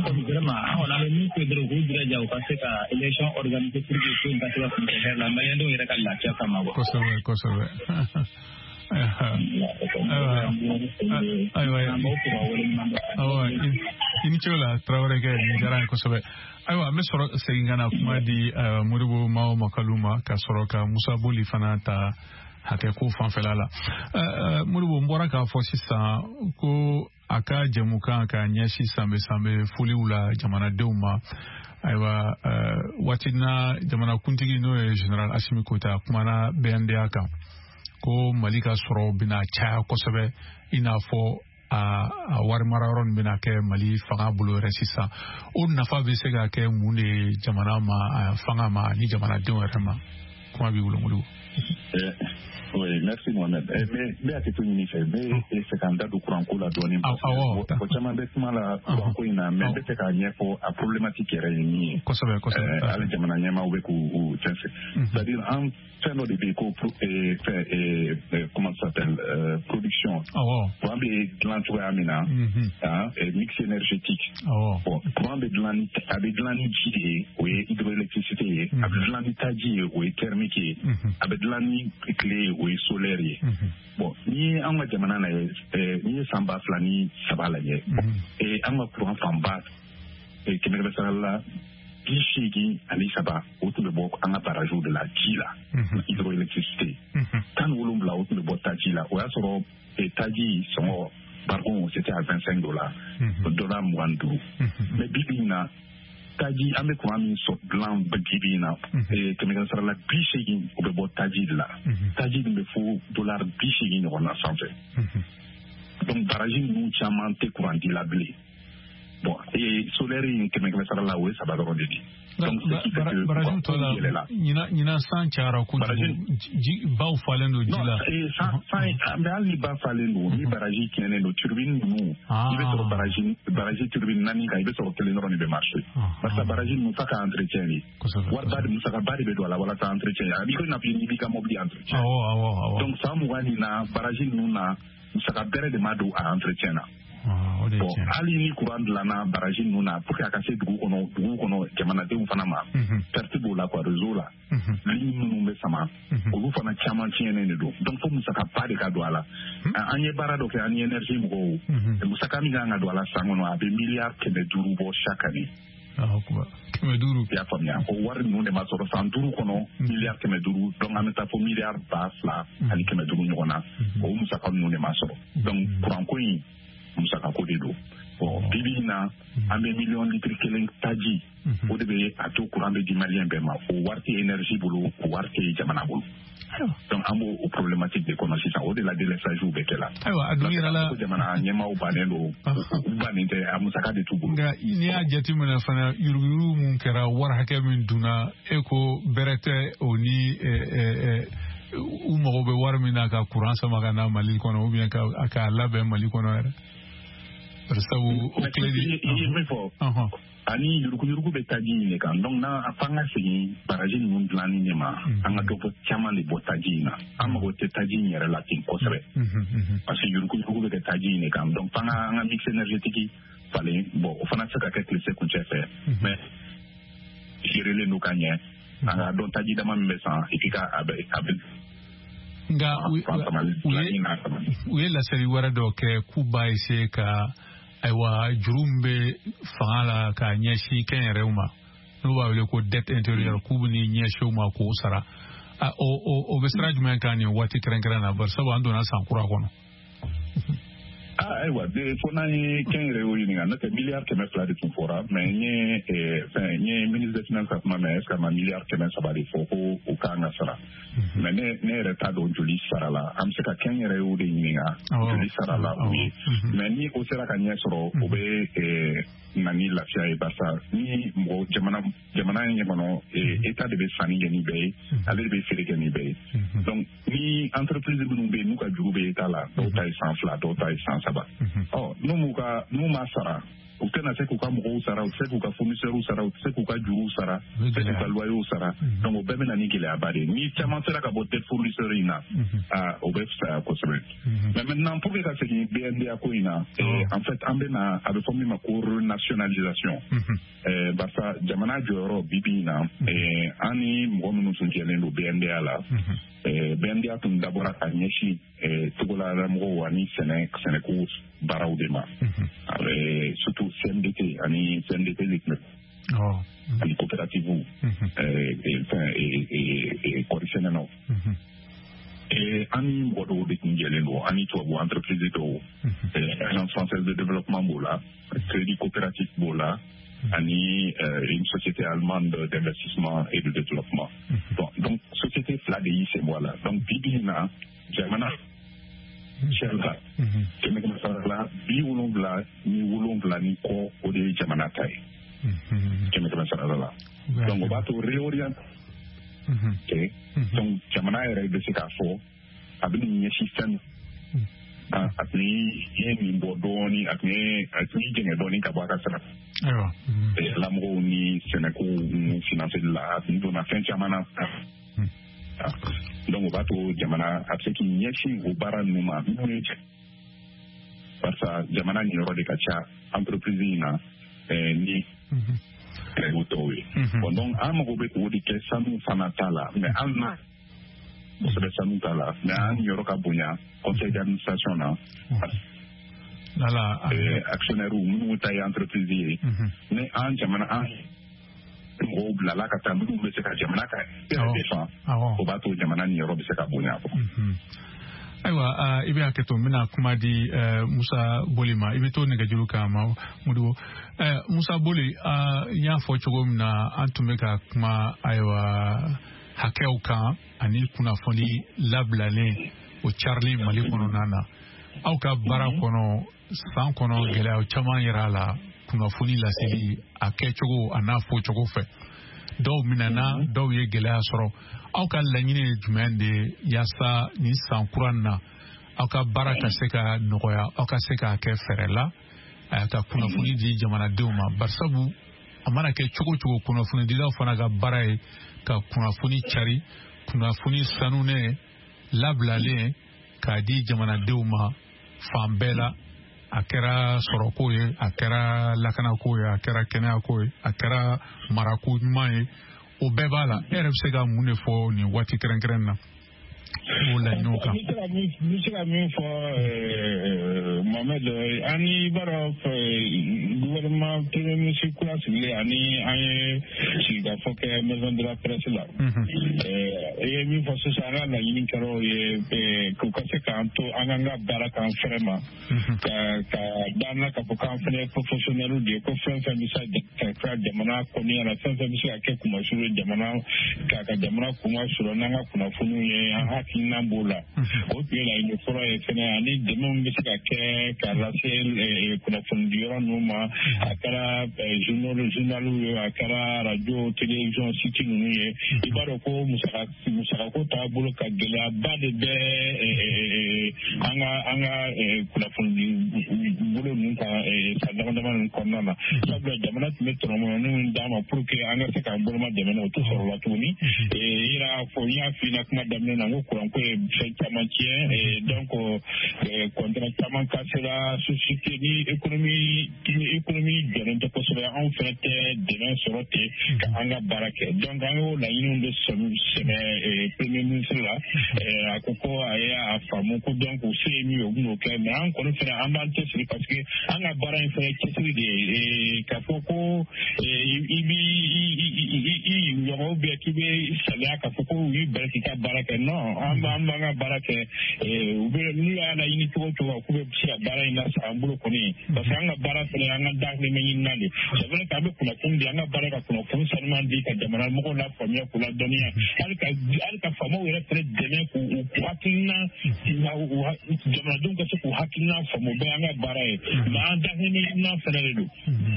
Vraiment, an kɔni an bɛ min fɔ dɔrɔn, k'u jilaja u ka se ka élection organiser pour que ko in ka se ka kuncɛ hɛrɛ la, maliyɛndenw yɛrɛ ka lafiya kama quoi. Kosɛbɛ, kosɛbɛ. Ayiwa, ayiwa, i ni ce o la, Tarawele kɛ, nin diyara n ye kosɛbɛ. Ayiwa, an bɛ sɔrɔ segin ka na kuma di Modibo Mao Makalu ma, ka sɔrɔ ka Musa Boli fana ta hakɛ ko fanfɛla la. Modibo, n bɔra k'a fɔ sisan ko a ka jɛmukan ka ɲɛsin sanbɛ sanbɛ foliw la jamanadenw ma. Ayiwa, waati na jamanakuntigi, n'o ye général Assimi Goïta, kumana B N D A kan ko Mali ka sɔrɔ bɛna caya kosɛbɛ, i n'a fɔ a a wari mara yɔrɔ nin bɛna kɛ Mali fanga bolo yɛrɛ sisan. O nafa bɛ se ka kɛ mun de ye jamana ma, fanga ma, ani jamanadenw yɛrɛ ma? Kuma b'i bolo, Modibo. Oui, merci Mohamed. Mais n bɛ hakɛto ɲini fɛ, n bɛ fɛ ka n da don kuranko la dɔɔnin. Awɔ. Mɔgɔ caman bɛ kuma la kuranko in na, mais n bɛ fɛ k'a ɲɛfɔ a problématique yɛrɛ ye min ye. Kosɛbɛ, kosɛbɛ. Hali jamana ɲɛmaaw bɛ k'u fɛn fɛn. C'est-à-dire an fɛn dɔ de bɛ yen ko fɛn, comment ça s'appelle, production. Awɔ. Courant bɛ dilan cogoya min na, ah, mix énergétique. Awɔ. Bon, courant bɛ dilan ni, a bɛ dilan ni ji de ye, o ye hydroélectricité ye. A bɛ dilan ni taji ye, o ye thermique ye. A bɛ dilan ni tile ye, o ye solaire ye. Bon, n'i ye an ka jamana lajɛ, n'i ye san ba fila ni saba lajɛ, an ka courant fanba, kɛmɛ kɛmɛ sara la bi seegin ani saba, o tun bɛ bɔ an ka barrage de la, ji la, hydroélectricité. Tan ni wolonwula, o tun bɛ bɔ taji la. O y'a sɔrɔ taji sɔngɔ barikon, c'était à vingt-cinq dollars, dollar mugan ni duuru. Mais bi bi in na, Taji an bɛ kuran min sɔrɔ dilan bi bi in na, kɛmɛ kɛmɛ sara la bi seegin o bɛ bɔ taji de la. Taji dun bɛ fo dollar bi seegin ɲɔgɔn na sanfɛ. Donc baraji ninnu caman tɛ kuran di la bilen. Bon, et solaire in kɛmɛ kɛmɛ sara la o ye saba dɔrɔn de di. Donc baraji tɔ la ɲinan san cayara kojugu, baw falen don ji la. San san mais hali ni ba falen don, ni baraji tiɲɛnen don, turbine ninnu, i bɛ sɔrɔ baraji baraji turbine naani kan, i bɛ sɔrɔ kelen dɔrɔn de bɛ marcher. Parce que baraji ninnu f'a ka entretien de. Wariba de musakaba de bɛ don a la walasa entretien. A b'i ko i n'a fɔ n'i b'i ka mobili entretien. Awɔ awɔ awɔ. Donc san mugan nin na baraji ninnu na musaka bɛrɛ de ma don a entretien na. Bon, hali ni courant dilanna baraji ninnu na pour que a ka se dugu kɔnɔ dugu kɔnɔ jamanadenw fana ma, perte b'o la quoi, réseau la ligne minnu bɛ sama olu fana caman tiɲɛnen de don. Donc fo musakaba de ka don a la. An ye baara dɔ kɛ an ni énergie mɔgɔw, musaka min kan ka don a la san kɔnɔ a bɛ miliyari kɛmɛ duuru bɔ chaque année. Kɛmɛ duuru. I y'a faamuya, o wari ninnu de ma sɔrɔ san duuru kɔnɔ miliyari kɛmɛ duuru. Donc an bɛ taa fo miliyari ba fila ani kɛmɛ duuru ɲɔgɔn na, o musaka ninnu de ma sɔrɔ. Donc kuranko in musakako de don. Bon, bi bi in na an bɛ miliyɔn litiri kelen taji, o de bɛ a to kuran bɛ di maliyɛn bɛɛ ma. O wari tɛ énergie bolo, o wari tɛ jamana bolo. Donc an b'o o problématique de kɔnɔ sisan, o de la délestage bɛ kɛ la. Ayiwa, a dun yɛrɛ la jamana ɲɛmaaw bannen don, u bannen tɛ, a musaka de t'u bolo. Nka n'i y'a jateminɛ fana, yuruguyurugu mun kɛra, wari hakɛ min dunna, e ko bɛrɛ tɛ o ni u mago bɛ wari min na ka kuran sama ka na Mali kɔnɔ ou bien k'a labɛn Mali kɔnɔ yɛrɛ. Sabu o crédit i ye min fɔ ani yuruguyurugu bɛ taji in de kan. Donc n'an f'an ka segin baraji ninnu dilanni de ma, an ka dɔ bɔ caman de bɔ taji in na. An mago tɛ taji in yɛrɛ la ten kosɛbɛ, parce que yuruguyurugu bɛ kɛ taji in de kan. Donc f'an ka an ka mix énergétique falen. Bon, o fana tɛ se ka kɛ tile kuncɛ fɛ, mais gérélen don ka ɲɛ. An ka dɔn taji dama min bɛ san et puis ka a bɛ a bɛ. Nka u ye laseli wɛrɛ dɔ kɛ k'u b'a essayer ka ayiwa juru min bɛ fanga la k'a ɲɛsin kɛnyɛrɛyew ma, n'u b'a wele ko dette intérieure, k'u bɛ n'i ɲɛsin o ma k'o sara. O o bɛ sira jumɛn kan nin waati kɛrɛnkɛrɛn na, bari sabu an donna san kura kɔnɔ? Ah, ayiwa, fo n'an ye kɛnyɛrɛyew ɲininka, n'o tɛ miliyari kɛmɛ fila de tun fɔra, mais n ye fɛn n ye ministre des finances ka kuma mɛn, est ce que a ma miliyari kɛmɛ saba de fɔ ko o kan ka sara. Mais ne ne yɛrɛ t'a dɔn joli sara la. An bɛ se ka kɛnyɛrɛyew de ɲininka joli sara la u ye. Mais ni o sera ka ɲɛ sɔrɔ, o bɛ na ni lafiya ye, barisa ni mɔgɔ jamana jamana in kɔnɔ état de bɛ sanni kɛ ni bɛɛ ye, ale de bɛ feere kɛ ni bɛɛ ye. Donc ni entreprise minnu bɛ yen n'u ka juru bɛ état la, dɔw ta ye san fila, dɔw ta ye san saba. Ɔ n'u m'u ka n'u ma sara, u tɛna se k'u ka mɔgɔw sara, u tɛ se k'u ka fournisseurs sara, u tɛ se k'u ka juruw sara, u tɛ se k'u ka loyers sara. Donc o bɛɛ bɛ na ni gɛlɛyaba de ye. Ni caman sera ka bɔ dette fournisseur in na, aa o bɛ fisaya kosɛbɛ. Mais maintenant pour que ka segin B N D A ko in na, en fait an bɛ na a bɛ fɔ min ma ko renationalisation. Barisa jamana jɔyɔrɔ bi bi in na, an ni mɔgɔ minnu tun jɛlen don B N D A la, B N D A tun dabɔra ka ɲɛsin togodalamɔgɔw ani sɛnɛ sɛnɛko baaraw de ma, surtout C M D T ani C M D T de tun bɛ ani coopérative fɛn kɔɔri sɛnɛnaw. An ni mɔgɔ dɔw de tun jɛlen don, ani tubabu entreprise dɔw, Agence française de développement b'o la, Crédit coopératif b'o la, ani une société allemande d'investissement et de développement. Bon, donc société fila de y'i sen bɔ a la. Donc bi bi in na jamana cɛ la kɛmɛ kɛmɛ sara la bi wolonwula ni wolonwula ni kɔ, o de ye jamana ta ye kɛmɛ kɛmɛ sara la. Donc o b'a to réorient kɛ. Donc jamana yɛrɛ bɛ se k'a fɔ a bɛ nin ɲɛsin fɛn a tun ye nin bɔ dɔɔnin, a tun ye a tun ye jɛngɛ dɔɔnin ka bɔ a ka sara lamɔgɔw ni sɛnɛkow ninnu financeli la, a tun donna fɛn caman na. Donc o b'a to jamana a bɛ se k'i ɲɛsin o baara ninnu ma minnu ye, barisa jamana niyɔrɔ de ka ca entreprise in na ni o tɔw ye. Bon, donc an mago bɛ k'o de kɛ sanu fana ta la, mais hali n'a kosɛbɛ sanu ta la, mais an niyɔrɔ ka bonya conseil d'administration na. Actionnaire minnu ta ye entreprise ye, ni an jamana an mɔgɔw bilala ka taa minnu bɛ se ka jamana ka défend, o b'a to jamana niyɔrɔ bɛ se ka bonya. Ayiwa, i bɛ hakɛ to, n bɛna kuma di Musa Boli ma. I bɛ to nɛgɛjuru kan ma, Modibo. Musa Boli, n y'a fɔ cogo min na, an tun bɛ ka kuma ayiwa hakɛw kan ani kunnafoni labilalen o carili Mali kɔnɔna na. Aw ka baara kɔnɔ, san kɔnɔ, gɛlɛya caman yɛrɛ a la, kunnafoni laseli a kɛcogo a n'a fɔcogo fɛ. Dɔw minɛna, dɔw ye gɛlɛya sɔrɔ. Aw ka laɲini ye jumɛn de ye yaasa nin san kura in na aw ka baara ka se ka nɔgɔya, aw ka se k'a kɛ fɛɛrɛ la ka kunnafoni di jamanadenw ma? Barisabu a mana kɛ cogo cogo, kunnafonidilaw fana ka baara ye ka kunnafoni cari, kunnafoni sanunen labilalen k'a di jamanadenw ma fan bɛɛ la. A kɛra sɔrɔko ye, a kɛra lakanako ye, a kɛra kɛnɛyako ye, a kɛra marako ɲuman ye, o bɛɛ b'a la. E yɛrɛ bɛ se ka mun de fɔ nin waati kɛrɛnkɛrɛn na o laɲiniw kan? N bɛ se ka min fɔ, Mohamed, an ni b'a dɔn gouvernement premier ministre kura sigilen ani an ye sigikafɔ kɛ maison de la presse la. I ye min fɔ sisan, an ka laɲini kɛra o ye k'u ka se k'an to an k'an ka baara k'an fɛrɛ ma, ka ka d'an na k'a fɔ k'an fana ye professionnels de ye, ko fɛn fɛn bɛ se ka kɛ jamana kɔnɔya la, fɛn fɛn bɛ se ka kɛ kumasuru ye jamana k'a ka jamana kuma sɔrɔ n'an ka kunnafoniw ye, an hakilina b'o la. O tun ye laɲini fɔlɔ ye fɛnɛ, ani dɛmɛ min bɛ se ka kɛ k'a lase kunnafonidiyɔrɔ ninnu ma, a kɛra journal journaliw ye, a kɛra radio, télévision, site ninnu ye. I b'a dɔn ko musaka musakako taabolo ka gɛlɛyaba de bɛ an ka an ka kunnafonidi bolo ninnu kan san dama dama ninnu kɔnɔna na. Sabula jamana tun bɛ tɔnɔmɔnɔni min d'an ma pour que an ka se k'an boloma dɛmɛ, o tɛ sɔrɔ la tuguni. I yɛrɛ y'a fɔ, n y'a f'i ɲɛna kuma daminɛ na, n ko kuranko ye fɛn caman tiɲɛ, donc contrat caman cassera, société ni économie ni économie jɔlen tɛ kosɛbɛ, anw fɛnɛ tɛ dɛmɛ sɔrɔ ten ka an ka baara kɛ. Donc an y'o laɲiniw de sɛmɛ premier ministre la. A ko ko a ye a faamu ko donc u se ye min ye, u bɛn'o kɛ. Mais an kɔni fɛnɛ an b'an cɛsiri, parce que an ka baara in fɛnɛ cɛsiri de ye k'a fɔ ko i b'i i ɲɔgɔn ou bien k'i bɛ saliya k'a fɔ ko u y'i bali k'i ka baara kɛ. Non, an b'an b'an ka baara kɛ. U bɛ n'u y'a laɲini cogo o cogo k'u bɛ se ka baara in lasa an bolo kɔni, parce que an ka baara fɛnɛ an ka dahirimɛ ɲinina de. C'est vrai k'an bɛ kunnafoni di, an ka baara ka kunnafoni sanuman di ka jamana mɔgɔw lafaamuya k'u ladɔnniya, hali ka hali ka faamaw yɛrɛ fɛnɛ dɛmɛ k'u u hakilina, jamanadenw ka se k'u hakilina faamu, o bɛɛ y'an ka baara ye. Mais an dahirimɛ ɲinina fɛnɛ de don,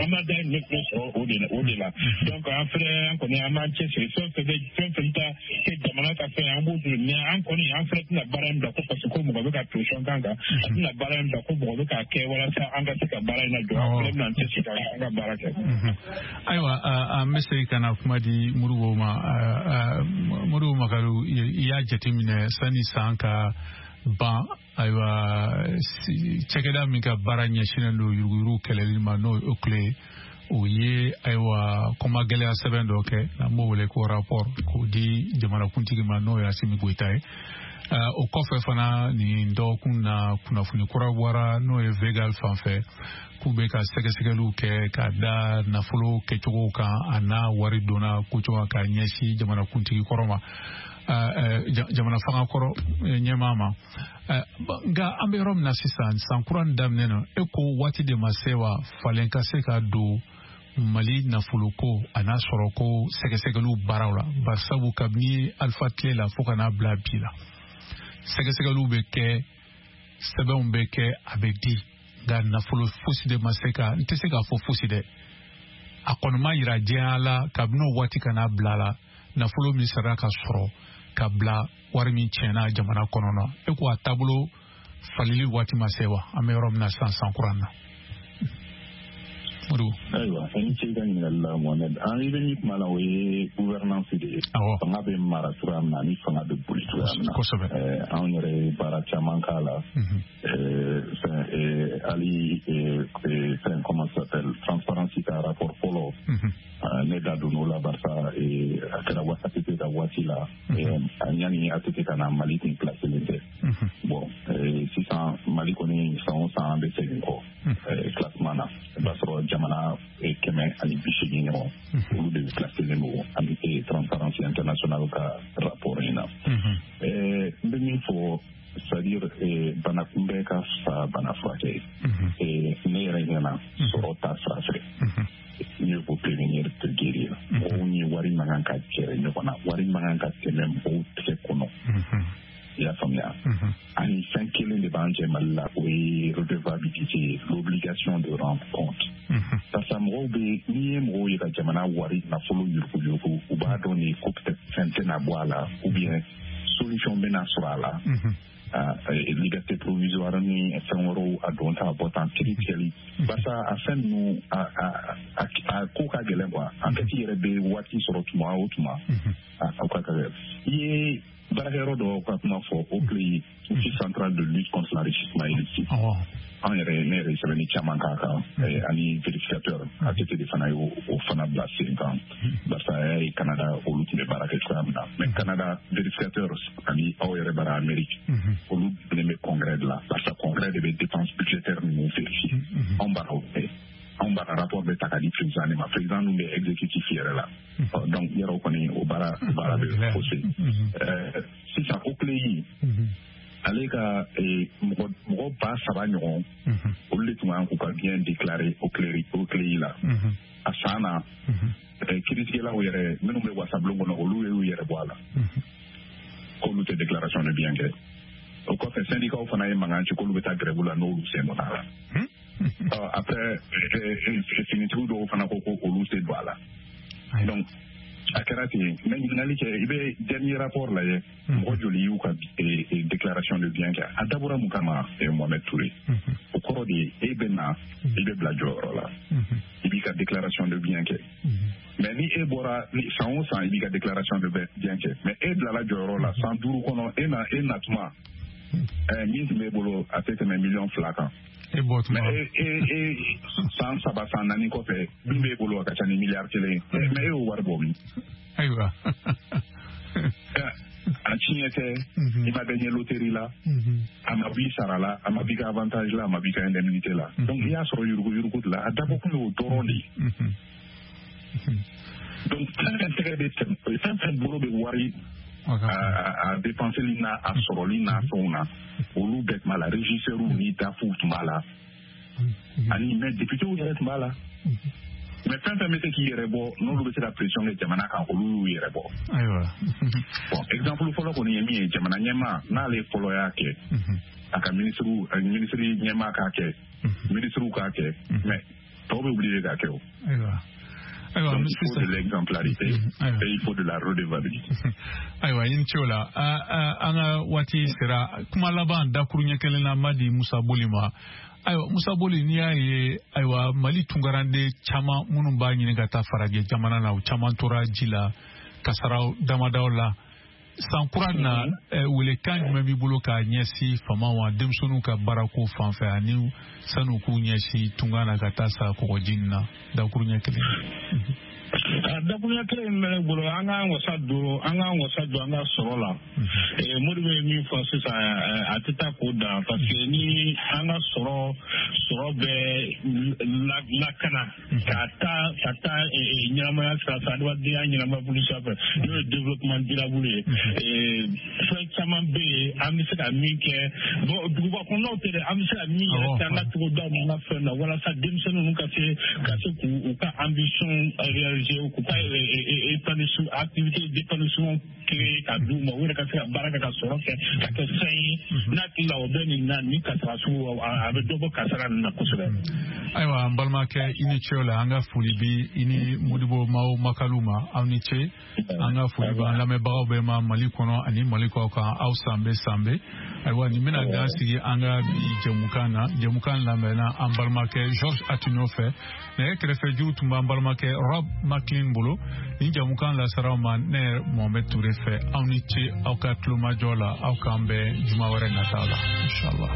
an b'a dahirimɛ fɛnɛ sɔrɔ o de la o de la. Donc an fɛnɛ an kɔni an b'an cɛsiri, fɛn fɛn bɛ fɛn fɛn ta kɛ jamana ka fɛn an b'o dun. Mais an kɔni an fɛnɛ tɛna baara in bila ko parce que ko mɔgɔ bɛ ka pression k'an kan, an tɛna baara in bila ko mɔgɔ bɛ k'a kɛ walasa an ka se ka baara in lajɔ. An fɛnɛ bɛna an cɛsiri ka an ka baara kɛ. Ayiwa, an bɛ segin ka na kuma di Modibo ma. Modibo Makalu, i y'a jateminɛ sanni san ka ban, ayiwa cakɛda min ka baara ɲɛsinnen don yuruguyurugu kɛlɛli ma, n'o ye OCLEI ye, o ye ayiwa kɔma gɛlɛya sɛbɛn dɔ kɛ n'an b'o wele ko rapport, k'o di jamanakuntigi ma, n'o ye Asimi Goyita ye. O kɔfɛ fana, nin dɔgɔkun na, kunnafoni kura bɔra, n'o ye Vegal fan fɛ, k'u bɛ ka sɛgɛsɛgɛliw kɛ ka da nafolo kɛcogo kan a n'a wari donna kocogo ka ɲɛsin jamanakuntigi kɔrɔ ma, jamana fanga kɔrɔ ɲɛmaa ma. Nka an bɛ yɔrɔ min na sisan, san kura in daminɛ na, e ko waati de ma se wa falen ka se ka don Mali nafoloko a n'a sɔrɔko sɛgɛsɛgɛliw baaraw la? Barisabu kabini Alifa tile la fo ka n'a bila bi la, sɛgɛsɛgɛliw bɛ kɛ, sɛbɛnw bɛ kɛ, a bɛ di, nka nafolo fosi de ma se ka, n tɛ se k'a fɔ fosi dɛ, a kɔni ma yira diɲɛ la kabini o waati ka n'a bila la, nafolo min sara ka sɔrɔ ka bila wari min tiɲɛna jamana kɔnɔ na. E ko a taabolo falili waati ma se wa? An bɛ yɔrɔ min na sisan, san kura in na. Ayiwa, i ni ce i ka ɲininkali la, Mohamed. An i bɛ min kuma la, o ye gouvernance de ye. Fanga bɛ mara cogoya min na ani fanga bɛ boli cogoya min na. Kosɛbɛ. Anw yɛrɛ ye baara caman k'a la. Fɛn hali fɛn comment ça s'appelle, transparence ka rapport fɔlɔ, ne da donn'o la, barisa a kɛra A T T ka waati la, yanni A T T ka na, Mali tun placelen tɛ. Bon, sisan Mali kɔni san o san an bɛ segin kɔ classement na. I b'a sɔrɔ jamana kɛmɛ ani bi seegin ɲɔgɔn, olu de placelen don ani Transparency International ka rapport in na. N bɛ min fɔ, C'est-à-dire bana kunbɛn ka fisa bana furakɛ ye. Ne yɛrɛ ɲɛna sɔrɔ ta sira fɛ, mieux vaut prévenir que guérir. Mɔgɔw ni wari man kan ka gɛrɛ ɲɔgɔn na, wari man kan ka tɛmɛ mɔgɔw tɛgɛ kɔnɔ. I y'a faamuya? Ani fɛn kelen de b'an cɛ Mali la, o ye redevabilité, l'obligation de rendre compte. Parce que mɔgɔw bɛ, n'i ye mɔgɔw ye ka jamana wari nafolo yuruguyurugu, u b'a dɔn de ko peut-être fɛn tɛna bɔ a la, ou bien solution bɛna sɔrɔ a la. Liberté provisoire ni fɛn wɛrɛw a don ta a bɔ tan kiiri tigɛli, barisa a fɛn ninnu a a a ko ka gɛlɛn quoi. Enquête yɛrɛ bɛ waati sɔrɔ tuma o tuma, a ko ka gɛlɛn. I ye baarakɛyɔrɔ dɔw ka kuma fɔ, O C L E I, Office central de lutte contre l'enrichissement illicite. An yɛrɛ, ne yɛrɛ ye sɛbɛnni caman k'a kan, ani vérificateur A T T de fana y'o o fana bila sen kan, barisa a y'a ye Canada olu tun bɛ baara kɛ cogoya min na. Mais Canada vérificateur ani aw yɛrɛ bara Amérique, olu bilen bɛ congrès de la, barisa congrès de bɛ dépense budgétaire ninnu vérifier. Anw bara o kɛ, anw bara rapport bɛ ta ka di président de ma, président dun bɛ exécutif yɛrɛ la. Donc yɔrɔ kɔni o baara o baara bɛ faussé. Sisan O C L E I, ale ka mɔgɔ mɔgɔ ba saba ɲɔgɔn, olu de tun kan k'u ka bien déclarer O C L E I la. A san na, kiiritigɛlaw yɛrɛ minnu bɛ wasabulon kɔnɔ, olu y'u yɛrɛ bɔ a la k'olu tɛ déclaration de bien kɛ. O kɔfɛ syndicats fana ye mankan ci k'olu bɛ taa grève la n'olu sen donna a la. Après finitigiw dɔw fana ko ko olu tɛ don a la. Donc a kɛra ten. Mais ɲininkali kɛ, i bɛ dernier rapport lajɛ, mɔgɔ joli y'u ka déclaration de bien kɛ? A dabɔra mun kama, Mohamed Touré? O kɔrɔ de ye e bɛ na, i bɛ bila jɔyɔrɔ la, i b'i ka déclaration de bien kɛ. Mais ni e bɔra san o san, i b'i ka déclaration de bien kɛ, mais e bilala jɔyɔrɔ la san duuru kɔnɔ, e na e natuma min tun b'e bolo a tɛ tɛmɛ miliyɔn fila kan. Mais e e san saba san naani kɔfɛ, min b'e bolo a ka ca ni miliyari kelen ye, mais e y'o wari bɔ min? Ayiwa. A tiɲɛ tɛ, i ma gagné loterie la, a ma b'i sara la, a ma b'i ka avantage la, a ma b'i ka indemnité la. Donc i y'a sɔrɔ yuruguyurugu de la, a dabɔ kun y'o dɔrɔn de ye. Donc fɛn fɛn tɛgɛ bɛ tɛmɛ, fɛn fɛn bolo bɛ wari a a dépenseli n'a a sɔrɔli n'a fɛnw na, olu bɛɛ tun b'a la, régisseurs ni dafuw tun b'a la, ani mais députés yɛrɛ tun b'a la. Mais fɛn fɛn bɛ se k'i yɛrɛ bɔ, n'olu bɛ se ka pression kɛ jamana kan, olu y'u yɛrɛ bɔ. Ayiwa. Bon, exemple fɔlɔ kɔni ye min ye, jamana ɲɛmaa n'ale fɔlɔ y'a kɛ, a ka ministre ministre ɲɛmaa k'a kɛ, ministre k'a kɛ, mais tɔw bɛ obligé k'a kɛ o. Ayiwa. Donc, il faut de l'exemplarité et il faut de la redevabilité. Ayiwa, i ni ce o la. An ka waati sera kuma laban dakuruɲɛ kelen na, ma di Musa Boli ma. Ayiwa Musa Boli, n'i y'a ye, ayiwa Mali tunkaranden caman minnu b'a ɲini ka taa farajɛ jamana na, u caman tora ji la kasaraw damadaw la. San kura na, welekan jumɛn b'i bolo k'a ɲɛsin faamaw ma denmisɛnninw ka baarako fan fɛ, ani san'u k'u ɲɛsin tunga na ka taa sa kɔgɔji in na? Dakuruɲɛ kelen. Dakuruɲɛ kelen min bɛ ne bolo, an k'an wasa don an k'an wasa don an ka sɔrɔ la. Modibo ye min fɔ sisan, a tɛ taa k'o dan, parce que ni an ka sɔrɔ sɔrɔ bɛ lakana ka taa ka taa ɲɛnamaya sira fɛ, adamadenya ɲɛnamaya bolo sira fɛ, n'o ye développement durable ye. Fɛn caman bɛ yen an bɛ se ka min kɛ, bon duguba kɔnɔnaw tɛ dɛ, an bɛ se ka min yɛrɛ kɛ an ka togodaw n'an ka fɛn na, walasa denmisɛnninw ka se ka se k'u ka ambition réaliser, k'u ka épanouissement activité d'épanouissement créer ka d'u ma, u yɛrɛ ka se ka baara kɛ ka sɔrɔ kɛ ka kɛ fɛn ye. N'a hakili la o bɛ nin na, ni kasara sugu a bɛ dɔ bɔ kasara nin na kosɛbɛ. Ayiwa an balimakɛ, i ni ce o la. An ka foli bi i ni Modibo Mao Makalu ma, aw ni ce. An ka foli b'an lamɛnbagaw bɛɛ ma Mali kɔnɔ ani Mali kɔ kan, aw sanbe sanbe. Ayiwa nin bɛna dan sigi an ka bi jɛmukan na. Jɛmukan lamɛnna an balimakɛ Georges Atino fɛ, nɛgɛ kɛrɛfɛ juru tun b'an balimakɛ Rob McLean bolo. Nin jɛmukan lasaraw ma ne Mohamed Touré fɛ. Aw ni ce aw ka tulomajɔ la, aw k'an bɛn juma wɛrɛ nata la, inshallah.